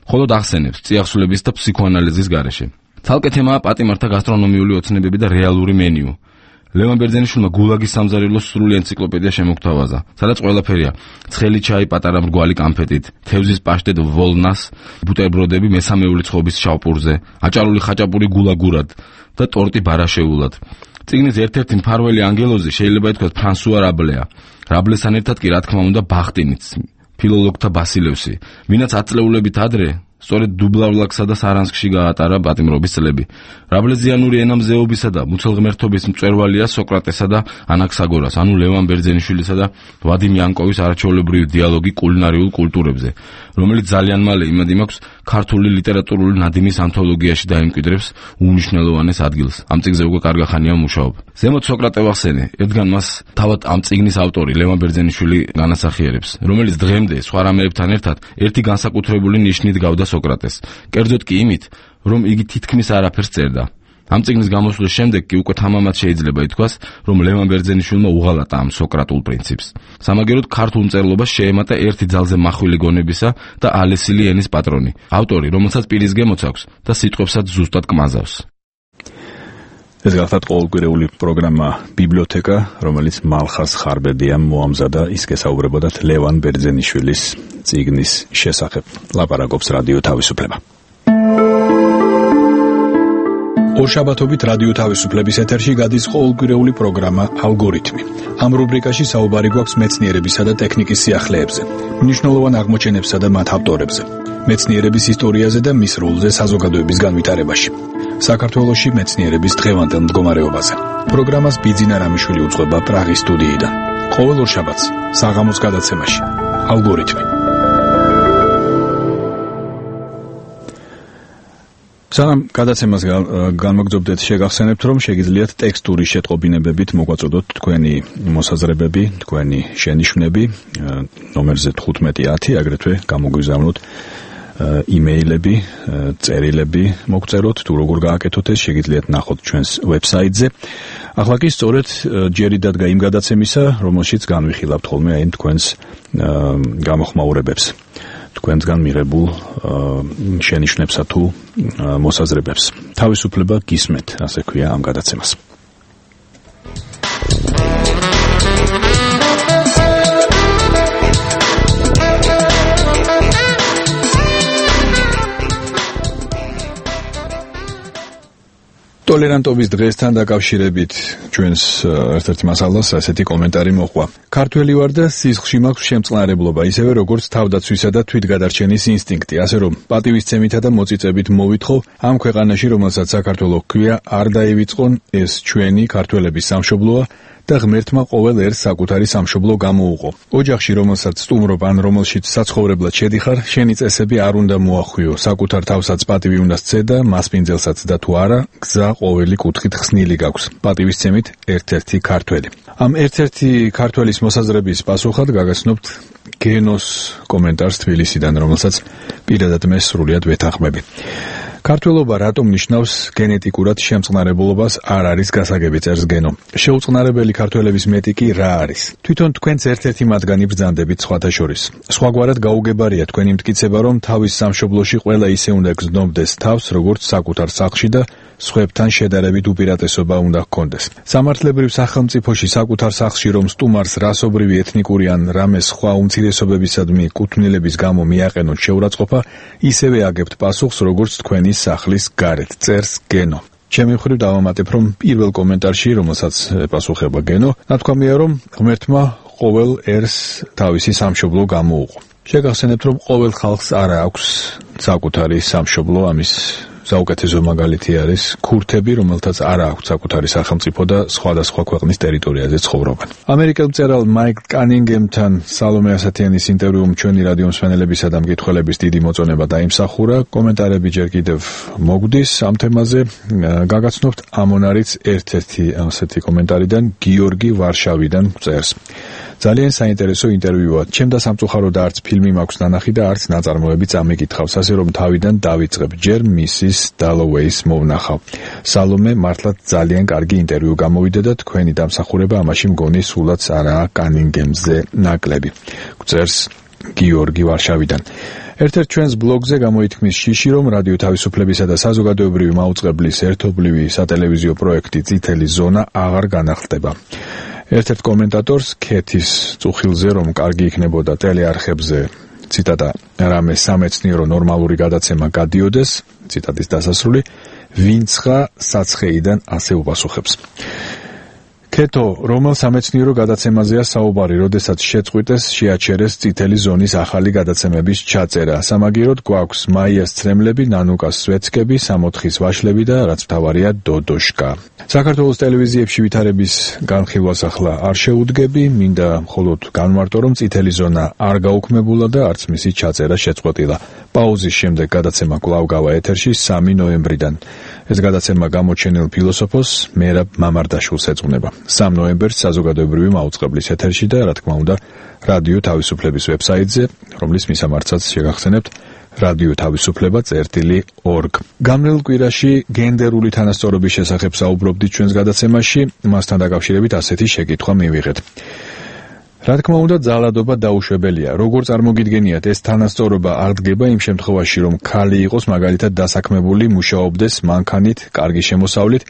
მხოლოდ ახსენებს წიაღსულების და ფსიქოანალიზის გარეშე. ცალკე თემაა პატიმართა გასტრონომიული ოცნებები და რეალური მენიუ. ლევან ბერძენიშვილმა გულაგის სამზარეულოს სრული ენციკლოპედია შემოგთავაზა, სადაც ყველაფერია: ცხელი ჩაი პატარა მრგვალი კანფეტით, თევზის პაშტეტ ვოლნას, ბუტერბროდები მესამეული ცხობის შავპურზე, აჭარული ხაჭაპური გულაგურად და ტორტი ბარაშეულად. წიგნის ერთ-ერთი მფარველი ანგელოზი შეიძლება ითქვას ფრანსუა რაბლეა. რაბლესთან ერთად კი რა თქმა უნდა ბახტინიც, ფილოლოგთა ბასილევსი, ვინაც ათწლეულებით ადრე სწორედ დუბლავლაქსა და სარანსკში გაატარა პატიმრობის წლები. რაბლეზიანური ენამზეობისა და მუცელღმერთობის მწვერვალია სოკრატესა და ანაქსაგორას, ანუ ლევან ბერძენიშვილისა და ვადიმ იანკოვის არაჩვეულებრივი დიალოგი კულინარიულ კულტურებზე, რომელიც ძალიან მალე იმედი მაქვს ქართული ლიტერატურული ნადიმის ანთოლოგიაში დაიმკვიდრებს უნიშნელოვანეს ადგილს. ამ წიგნზე უკვე კარგა ხანია მუშაობა. ზემოთ სოკრატე ვახსენე, ერთგან მას თავად ამ წიგნის ავტორი ლევან ბერძენიშვილი განასახიერებს, რომელიც დღემდე სხვა რამეებთან ერთად ერთი განსაკუთრებული ნიშნით გავდა სოკრატეს. კერძოდ კი იმით, რომ იგი თითქმის არაფერს წერდა. ამ წიგნის გამოსვლის შემდეგ კი უკვე თამამად შეიძლება ითქვას, რომ ლევან ბერძენიშვილმა უღალატა ამ სოკრატულ პრინციპს. სამაგეროდ ქართულ მწერლობას შეემატა ერთი ძალზე მახვილი გონებისა და ალესილი ენის პატრონი, ავტორი, რომელსაც პირის გემოც აქვს და სიტყვებსაც ზუსტად კმაზავს. ეს გახლავთ ყოველკვირეული პროგრამა ბიბლიოთეკა, რომელიც მალხაზ ხარბედიამ მოამზადა, ის გესაუბრებოდათ ლევან ბერძენიშვილის წიგნის შესახებ. ლაპარაკობს რადიო თავისუფლება. ორშაბათობით რადიო თავისუფლების ეთერში გადის ყოველკვირეული პროგრამა ალგორითმი. ამ რუბრიკაში საუბარი გვაქვს მეცნიერებისა და ტექნიკის სიახლეებზე, მნიშვნელოვან აღმოჩენებსა და მათ ავტორებზე, მეცნიერების ისტორიაზე და მის როლზე საზოგადოების განვითარებაში. საქართველოში მეცნიერების დღევანდელ მდგომარეობაზე. პროგრამას ბიძინა რამიშვილი უძღვება პრაღის სტუდიიდან. ყოველ ორშაბათს საღამოს გადაცემაში ალგორითმი. სანამ გადაცემას განმოგძობდეთ, შეგახსენებთ, რომ შეგიძლიათ ტექსტური შეტყობინებებით მოგვაწოდოთ თქვენი მოსაზრებები, თქვენი შენიშვნები ნომერზე თხუთმეტი ათი, აგრეთვე გამოგვიზავნოთ იმეილები, წერილები მოგწეროთ, თუ როგორ გააკეთოთ ეს, შეგიძლიათ ნახოთ ჩვენს ვებსაიტზე. ახლა კი სწორედ ჯერი დადგა იმ გადაცემისა, რომელშიც განვიხილავთ ხოლმე აი თქვენს გამოხმაურებებს, თქვენგან მიღებულ შენიშვნებსა თუ მოსაზრებებს. თავისუფლება გისმენთ, ასე ქვია ამ გადაცემას. ტოლერანტობის დღესთან დაკავშირებით ჩვენს ერთ-ერთ მასალას ასეთი კომენტარი მოყვა. ქართველი ვარ და სისხლში მაქვს შემწყნარებლობა, ისევე როგორც თავდაცვისა და თვითგადარჩენის ინსტინქტი, ასე რომ პატივისცემითა და მოწიწებით მოვითხოვ ამ ქვეყანაში, რომელსაც საქართველო ჰქვია, არ დაივიწყონ, ეს ჩვენი ქართველების სამშობლოა და ღმერთმა ყოველ ერს საკუთარი სამშობლო გამოუყო. ოჯახში, რომელსაც სტუმრობ ან რომელშიც საცხოვრებლად შედიხარ, შენი წესები არ უნდა მოახვიო, საკუთარ თავსაც პატივი უნდა სცე და მასპინძელსაც და თუ არა, გზა ყოველი კუთხით ხსნილი გაქვს. პატივისცემით ერთ-ერთი ქართველი. ამ ერთ-ერთი ქართველის მოსაზრების პასუხად გაგაცნობთ გენოს კომენტარს თბილისიდან, რომელსაც პირადად მე სრულიად ვეთანხმები. ქართველობა რატომ ნიშნავს გენეტიკურად შემწყნარებლობას არ არის გასაგები, წერს გენო. შეუწყნარებელი ქართველების მეტი კი რა არის? თვითონ თქვენც ერთ-ერთი მათგანი ბრძანდებით სხვათა შორის. სხვაგვარად გაუგებარია თქვენი მტკიცება, რომ თავის სამშობლოში ყველა ისე უნდა გზნობდეს თავს, როგორც საკუთარ სახლში და სხვებთან შედარებით უპირატესობა უნდა ჰქონდეს. სამართლებრივ სახელმწიფოში საკუთარ სახლში რომ სტუმარს რასობრივი ეთნიკური ან რამე სხვა უმცირესობებისადმი კუთვნილების გამო მიაყენოთ შეურაცხყოფა, ისევე აგებთ პასუხს, როგორც თქვენი სახლის გარეთ, წერს გენო. ჩემი მხრივ დავამატებ, რომ პირველ კომენტარში, რომელსაც პასუხება გენო, ნათქვამია, რომ ღმერთმა ყოველ ერს თავისი სამშობლო გამოუყო. შეგახსენებთ, რომ ყოველ ხალხს არ აქვს საკუთარი სამშობლო, ამის საუკეთესო მაგალითი არის ქურთები, რომელთაც არ აქვს საკუთარი სახელმწიფო და სხვადასხვა ქვეყნის ტერიტორიაზე ცხოვრობენ. ამერიკელ მწერალ მაიკ კანინგემთან სალომე ასათიანის ინტერვიუმ ჩვენი რადიო მსმენელებისა და მკითხველების დიდი მოწონება დაიმსახურა. კომენტარები ჯერ კიდევ მოგვდის ამ თემაზე. გაგაცნობთ ამონარიც ერთ-ერთი ასეთი კომენტარიდან გიორგი ვარშავიდან წერს. ძალიან საინტერესო ინტერვიუა. ჩემ და სამწუხაროდ არც ფილმი მაქვს ნანახი და არც ნაწარმოები წამიკითხავს, ასე რომ თავიდან დავიწყებ. ჯერ მისის დალოვეის მოვნახავ. სალომე მართლაც ძალიან კარგი ინტერვიუ გამოვიდა და თქვენი დამსახურება ამაში მგონი სულაც არაა კანინგემზე ნაკლები. გწერს გიორგი ვარშავიდან. ერთ-ერთ ჩვენს ბლოგზე გამოითქმის შიში, რომ რადიო თავისუფლებისა და საზოგადოებრივი მაუწყებლის ერთობლივი სატელევიზიო პროექტი წითელი ზონა აღარ განახლდება. ერთ-ერთ კომენტატორს ქეთის წუხილზე, რომ კარგი იქნებოდა ტელეარხებზე ციტატა რამე სამეცნიერო ნორმალური გადაცემა გადიოდეს, ციტატის დასასრული, ვინცღა საცხეიდან ასე უპასუხებს. ქეთო, რომელ სამეცნიერო გადაცემაზეა საუბარი, როდესაც შეწყვიტეს, შეაჩერეს წითელი ზონის ახალი გადაცემების ჩაწერა. სამაგიეროდ გვაქვს მაიას ცრემლები, ნანუკას სვეცკები, სამოთხის ვაშლები და რაც მთავარია დოდოშკა. საქართველოს ტელევიზიებში ვითარების განხილვას ახლა არ შეუდგები, მინდა მხოლოდ განმარტო, რომ წითელი ზონა არ გაუქმებულა და არც მისი ჩაწერა შეწყვეტილა. პაუზის შემდეგ გადაცემა კვლავ გავა ეთერში სამი ნოემბრიდან. ეს გადაცემა გამოჩენილ ფილოსოფოს მერაბ მამარდაშვილს ეძღვნება. სამი ნოემბერს საზოგადოებრივი მაუწყებლის ეთერში და რა თქმა უნდა რადიო თავისუფლების ვებსაიტზე, რომლის მისამართსაც შეგახსენებთ რადიო თავისუფლება წერტილი ორგ. გამრეულ კვირაში გენდერული თანასწორობის შესახებ საუბრობდით ჩვენს გადაცემაში, მასთან დაკავშირებით ასეთი შეკითხვა მივიღეთ. რა თქმა უნდა, ძალადობა დაუშვებელია. როგორ წარმოგიდგენიათ, ეს თანასწორობა არ დგება იმ შემთხვევაში, რომ ქალი იყოს მაგალითად დასაქმებული, მუშაობდეს მანქანით, კარგი შემოსავლით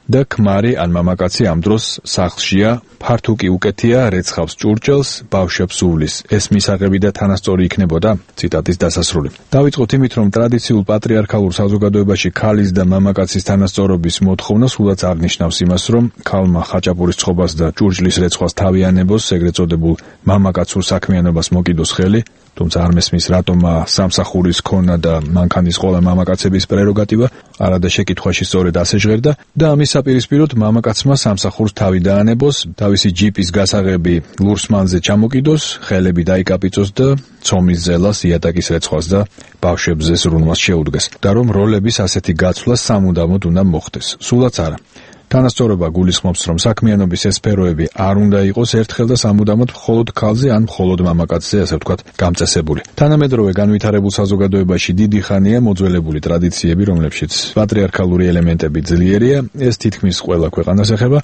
და ქმარი ან მამაკაცი ამ დროს სახლშია, ფართუკი უკეთია, რეცხავს ჭურჭელს, ბავშვებს უვლის. ეს მისაღები და თანასწორი იქნებოდა? ციტატის დასასრული. დავიწყოთ იმით, რომ ტრადიციულ პატრიარქალურ საზოგადოებაში ქალის და მამაკაცის თანასწორობის მოთხოვნა სულაც აღნიშნავს იმას, რომ ქალმა ხაჭაპურის ცხობას და ჭურჭლის რეცხვას თავიანებოს, ეგრეთ წოდებულ მამაკაცურ საქმიანობას მოკიდოს ხელი, თუმცა არ მესმის რატომა სამსახურის ქონა და მანქანის ყოლა მამაკაცების პრეროგატივა, არადა შეკითხვაში სწორედ ასე ჟღერდა და ამის საპირისპიროდ მამაკაცმა სამსახურს თავი დაანებოს, თავისი ჯიპის გასაღები ლურსმანზე ჩამოკიდოს, ხელები დაიკაპიწოს და ცომის ზელას, იატაკის რეცხვას და ბავშვებზე ზრუნვას შეუდგეს და რომ როლების ასეთი გაცვლა სამუდამოდ უნდა მოხდეს. სულაც არა. თანასწორობა გულისხმობს, რომ საქმიანობის ეს სფეროები არ უნდა იყოს ერთხელ და სამუდამოდ მხოლოდ ქალზე ან მხოლოდ მამაკაცზე, ასე ვთქვათ, გამწესებული. თანამედროვე განვითარებულ საზოგადოებაში დიდი ხანია მოძველებული ტრადიციები, რომლებშიც პატრიარქალური ელემენტები ძლიერია, ეს თითქმის ყველა ქვეყანას ეხება.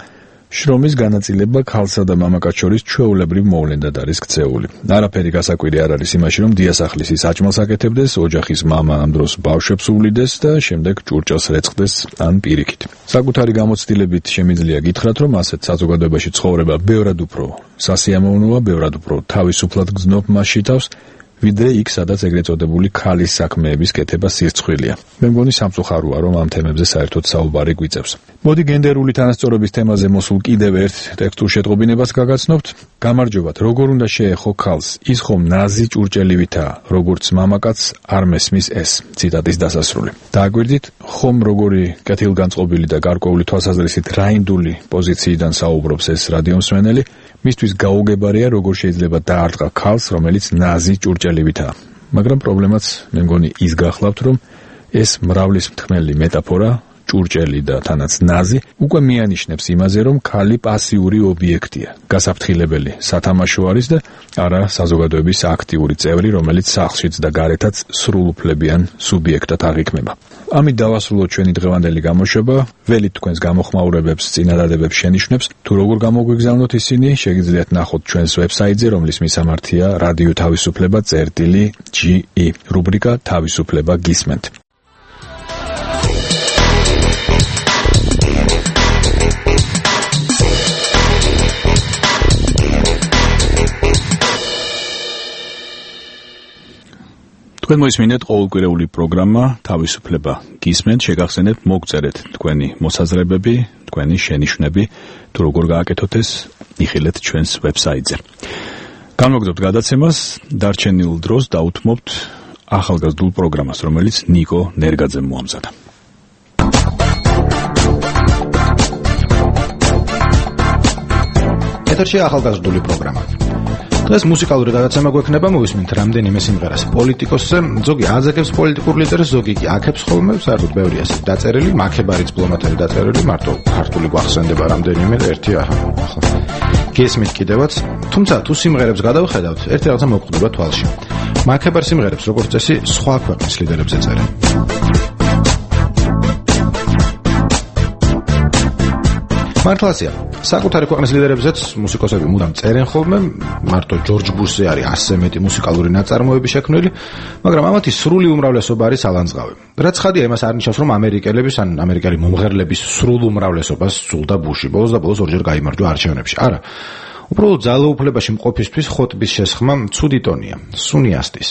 შრომის განაწილება ქალსა და მამაკაც შორის ჩვეულებრივ მოვლენად არის ქცეული. არაფერი გასაკვირი არ არის იმაში, რომ დიასახლისი საჭმელს აკეთებდეს, ოჯახის მამა ამ დროს ბავშვებს უვლიდეს და შემდეგ ჭურჭელს რეცხდეს ან პირიქით. საკუთარი გამოცდილებით შემიძლია გითხრათ, რომ ასეთ საზოგადოებაში ცხოვრება ბევრად უფრო სასიამოვნოა, ბევრად უფრო თავისუფლად გრძნობ მასში თავს, ვიდრე იქ, სადაც ეგრეთ წოდებული ქალის საქმეების კეთება სირცხვილია. მე მგონი სამწუხაროა, რომ ამ თემებზე საერთოდ საუბარი გვიწევს. მოდი გენდერული თანასწორობის თემაზე მოსულ კიდევ ერთ ტექსტურ შეტყობინებას გაგაცნობთ. გამარჯობათ, როგორ უნდა შეეხო ქალს, ის ხომ ნაზი ჭურჭელივითაა, როგორც მამაკაც არ მესმის ეს. ციტატის დასასრული. დააგვირდით, ხომ როგორი კეთილგანწყობილი და გარკვეული თვალსაზრისით რაინდული პოზიციიდან საუბრობს ეს რადიომსმენელი, მისთვის გაუგებარია, როგორ შეიძლება დაარტყა ქალს, რომელიც ნაზი ჭურჭელივითაა. მაგრამ პრობლემაც მე მგონი ის გახლავთ, რომ ეს მრავლის მთქმელი მეტაფორა, ჭურჭელი და თანაც ნაზი, უკვე მიანიშნებს იმაზე, რომ ქალი პასიური ობიექტია, გასაფრთხილებელი სათამაშო არის და არა საზოგადოების აქტიური წევრი, რომელიც სახლშიც და გარეთაც სრულუფლებიან სუბიექტად აღიქმება. ამით დავასრულოთ ჩვენი დღევანდელი გამოშვება. ველით თქვენს გამოხმაურებებს, წინადადებებს შენიშვნებს, თუ როგორ გამოგვიგზავნოთ ისინი, შეგიძლიათ ნახოთ ჩვენს ვებსაიტზე, რომლის მისამართია რადიო თავისუფლება წერტილი ჯი ი, რუბრიკა თავისუფლება გისმენთ. თქვენ მოისმინეთ ყოველკვირეული პროგრამა თავისუფლება გისმენთ, შეგახსენებთ მოგწერეთ თქვენი მოსაზრებები, თქვენი შენიშვნები, თუ როგორ გააკეთოთ ეს, იხილეთ ჩვენს ვებსაიტზე. განმოგდობთ გადაცემას, დარჩენილ დროს დაუთმობთ ახალგაზრდულ პროგრამას, რომელიც ნიკო ნერგაძემ მოამზადა. ეთერში ახალგაზრდული პროგრამა. დღეს მუსიკალური გადაცემა გვექნება, მოვისმინთ რამდენიმე სიმღერას პოლიტიკოსზე, ზოგი აზაკებს პოლიტიკურ ლიდერს, ზოგი კი აქებს ხოლმე, საერთოდ ბევრია ეს დაწერილი, მაქებარი დიპლომატები დაწერილი, მარტო ქართული გვახსენდება რამდენიმე ერთი ახლა. გესმით კიდევაც თუმცა თუ სიმღერებს გადავხედავთ, ერთი რაღაცა მოგხვდება თვალში. მაკებარ სიმღერებს როგორც წესი სხვა ქვეყნის ლიდერებზე წერენ. მართლაცია, საკუთარი ქვეყნის ლიდერებზეც მუსიკოსები მუდამ წერენ ხოლმე, მარტო ჯორჯ ბუშზე არის ასზე მეტი მუსიკალური ნაწარმოები შექმნილი, მაგრამ ამათი სრული უმრავლესობა არის ალანძღავი. რაც ხადია, იმას არ ნიშნავს, რომ ამერიკელების ან ამერიკელი მომღერლების სრულ უმრავლესობას სძულდა ბუში. ბოლოს და ბოლოს ორჯერ გაიმარჯვა არჩევნებში. არა. უბრალოდ ძალაუფლებაში მყოფისთვის ხოტბის შესხმა ცუდი ტონია, სუნიასტის.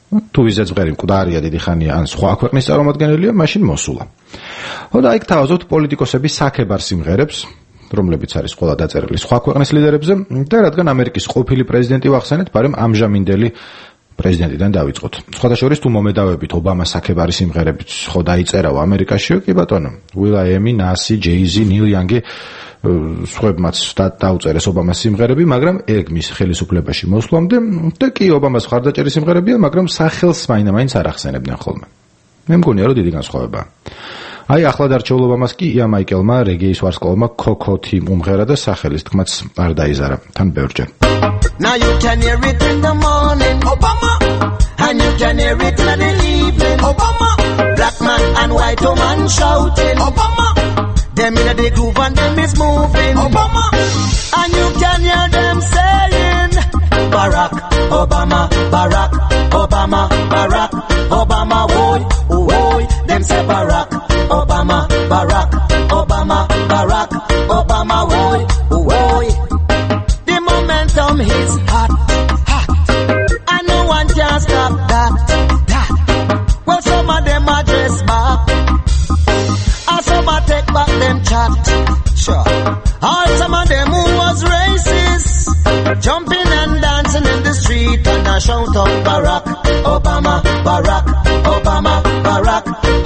თუ ვიზეც ღერი მკვდარია დიდი ხანია ან სხვა ქვეყნის წარმომადგენელია, მაშინ მოსულა. ხო და იქ თავაზობთ პოლიტიკოსების საქებარ სიმღერებს, რომლებიც არის ყველა დაწერილი სხვა ქვეყნის ლიდერებზე და რადგან ამერიკის ყოფილი პრეზიდენტი ვახსენეთ, მაგრამ ამჟამინდელი პრეზიდენტიდან დავიწყოთ. სხვათა შორის თუ მომედავებით ობამას საქებარი სიმღერებიც ხო დაიწერაო ამერიკაში, კი ბატონო, Will.i.am, Nas, Jay-Z, Neil Young სხვებმაც დაუწერეს ობამას სიმღერები, მაგრამ ეგ მის ხელისუფლებაში მოსვლამდე და კი ობამას მხარდაჭერი სიმღერებია, მაგრამ სახელს მაინც არ ახსენებდნენ ხოლმე. მე მგონია, რომ დიდი განსხვავებაა. აი ახლად არჩეულ ობამას კი ია მაიკელმა რეგეის ვარსკვლავმა კოკოთი უმღერა და სახელის თქმაც არ დაიზარა თან ბევრჯერ. Now you can hear it in the morning, Obama, and you can hear it in the evening, Obama. Black man and white woman shouting, Obama. Them in the groove and them is moving, Obama. And you can hear them saying, Barack Obama, Barack Obama, Barack Obama, woy, woy. Them say Barack Obama, Barack Obama, Barack Obama, woy, woy. The momentum is hot, hot, and no one can stop that, that. Well, some of them are dressed back, and some are take back them chat, sure. All some of them who was racist, jumping and dancing in the street, and I shout out Barack Obama, Barack Obama, Barack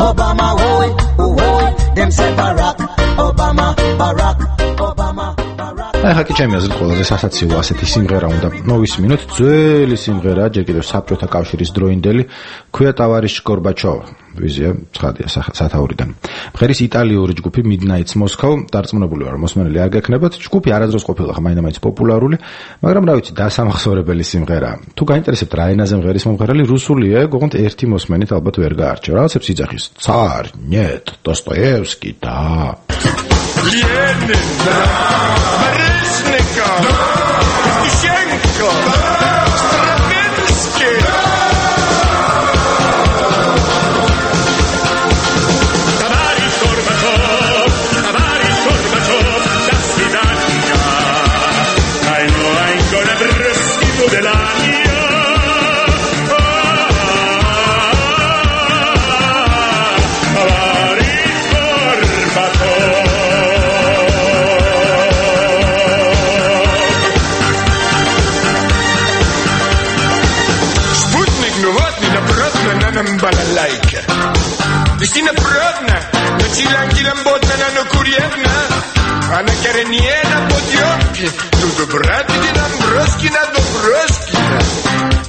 Obama, woy, woy. Them say Barack Obama, Barack Obama. აი ხაკი ჩემი აზრით ყველაზე სასაცილო ასეთი სიმღერა უნდა მოვისმინოთ. ძველი სიმღერა, ჯერ კიდევ საბჭოთა კავშირის დროინდელი, ქვია ტავარიშ გორბაჩოვ, ვიზია ცხადია სათაურიდან. მღერის იტალიური ჯგუფი Midnights Moscow დარწმუნებული ვარ, მოსმენელი არ გექნებათ. ჯგუფი არასდროს ყოფილა მაინც პოპულარული, მაგრამ რა ვიცი, დასამახსოვრებელი სიმღერაა. თუ გაინტერესებთ რა ენაზე მღერის მომღერალი, რუსულია, გოგონთ ერთი მოსმენით ალბათ ვერ გაარჩევ. რაღაცებს იძახის. Царь, нет, Достоевский, да. Ленин, да. Барышников, Тищенко, Стравинский. Товарищ Горбачев, товарищ Горбачев, до свидания. I know I'm gonna breast you the line. Балалайка. Весина продна, но чиланки ламботна, но курьерна. Она коренье на подъемке. Тут братки нам броски на доброскина.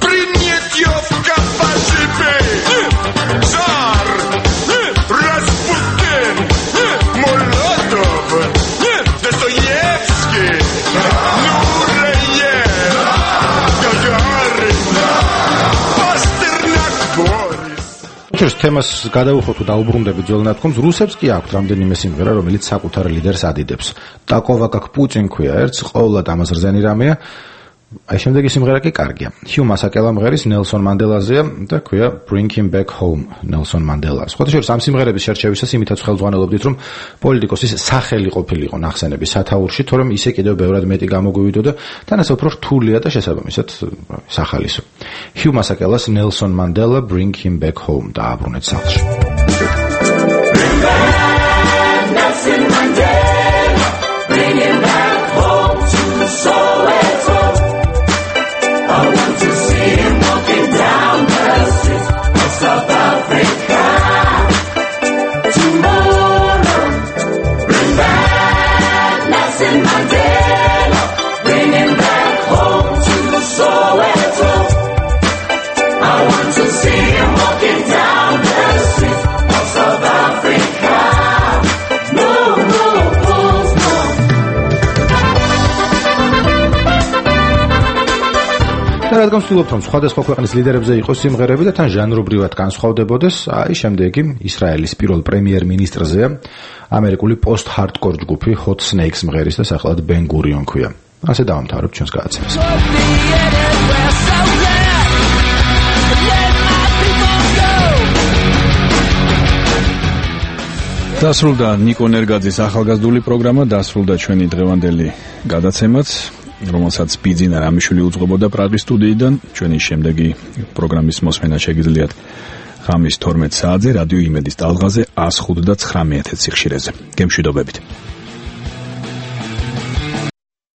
Принять ее в капачепе. Цар, Распутин, Молотов, Достоевский, Нуреев, Гагарин, Пастернак, Борис. ჩვენს თემას გადავუხოთ თუ დაუბრუნდებით ძველ ნათქვამს, რუსებს კი აქვთ რამდენიმე სიმღერა, რომელიც საკუთარ ლიდერს ადიდებს. ტაკოვა კაკ პუტინ ქვია ერთს, ყოველად ამას რძენი რამეა. აი შემდეგი სიმღერა კი კარგია. ჰიუ მასაკელა მღერის ნელსონ მანდელაზეა და ქვია Bring Him Back Home ნელსონ მანდელა. სხვათა შორის ამ სიმღერების შერჩევისას იმითაც ხელმძღვანელობდით, რომ პოლიტიკოსის სახელი ყოფილიყო ნახსენების სათაურში, თორემ ისე კიდევ ბევრად მეტი გამოგვივიდო და თანაც უფრო რთულია და შესაბამისად სახალისო. ჰიუ მასაკელას ნელსონ მანდელა Bring Him Back Home დააბრუნეთ სახლში. Bring back Nelson Mandela, bring him back home to Soweto. I want to see him walking down the streets of South Africa. Tomorrow, bring back Nelson Mandela, bring him back home to Soweto. I want to see him walking down the streets და რადგან ვცდილობთ, რომ სხვადასხვა ქვეყნის ლიდერებზე იყოს სიმღერები და თან ჟანრობრივად განსხვავდებოდეს, აი შემდეგი ისრაელის პირველ პრემიერ-მინისტრზეა ამერიკული post-hardcore ჯგუფი Hot Snakes მღერის და სახელად Ben Gurion ქვია. ასე დავამთავრებთ ჩვენს გადაცემას. დასრულდა ნიკო ნერგაძის ახალგაზრდული პროგრამა, დასრულდა ჩვენი დღევანდელი გადაცემაც, რომელსაც ბიძინა რამიშვილი უძღვებოდა პრაღის სტუდიიდან. ჩვენი შემდეგი პროგრამის მოსმენა შეგიძლიათ ღამის თორმეტ საათზე რადიო იმედის ტალღაზე one oh five და nine one one სიხშირეზე. გემშვიდობებით.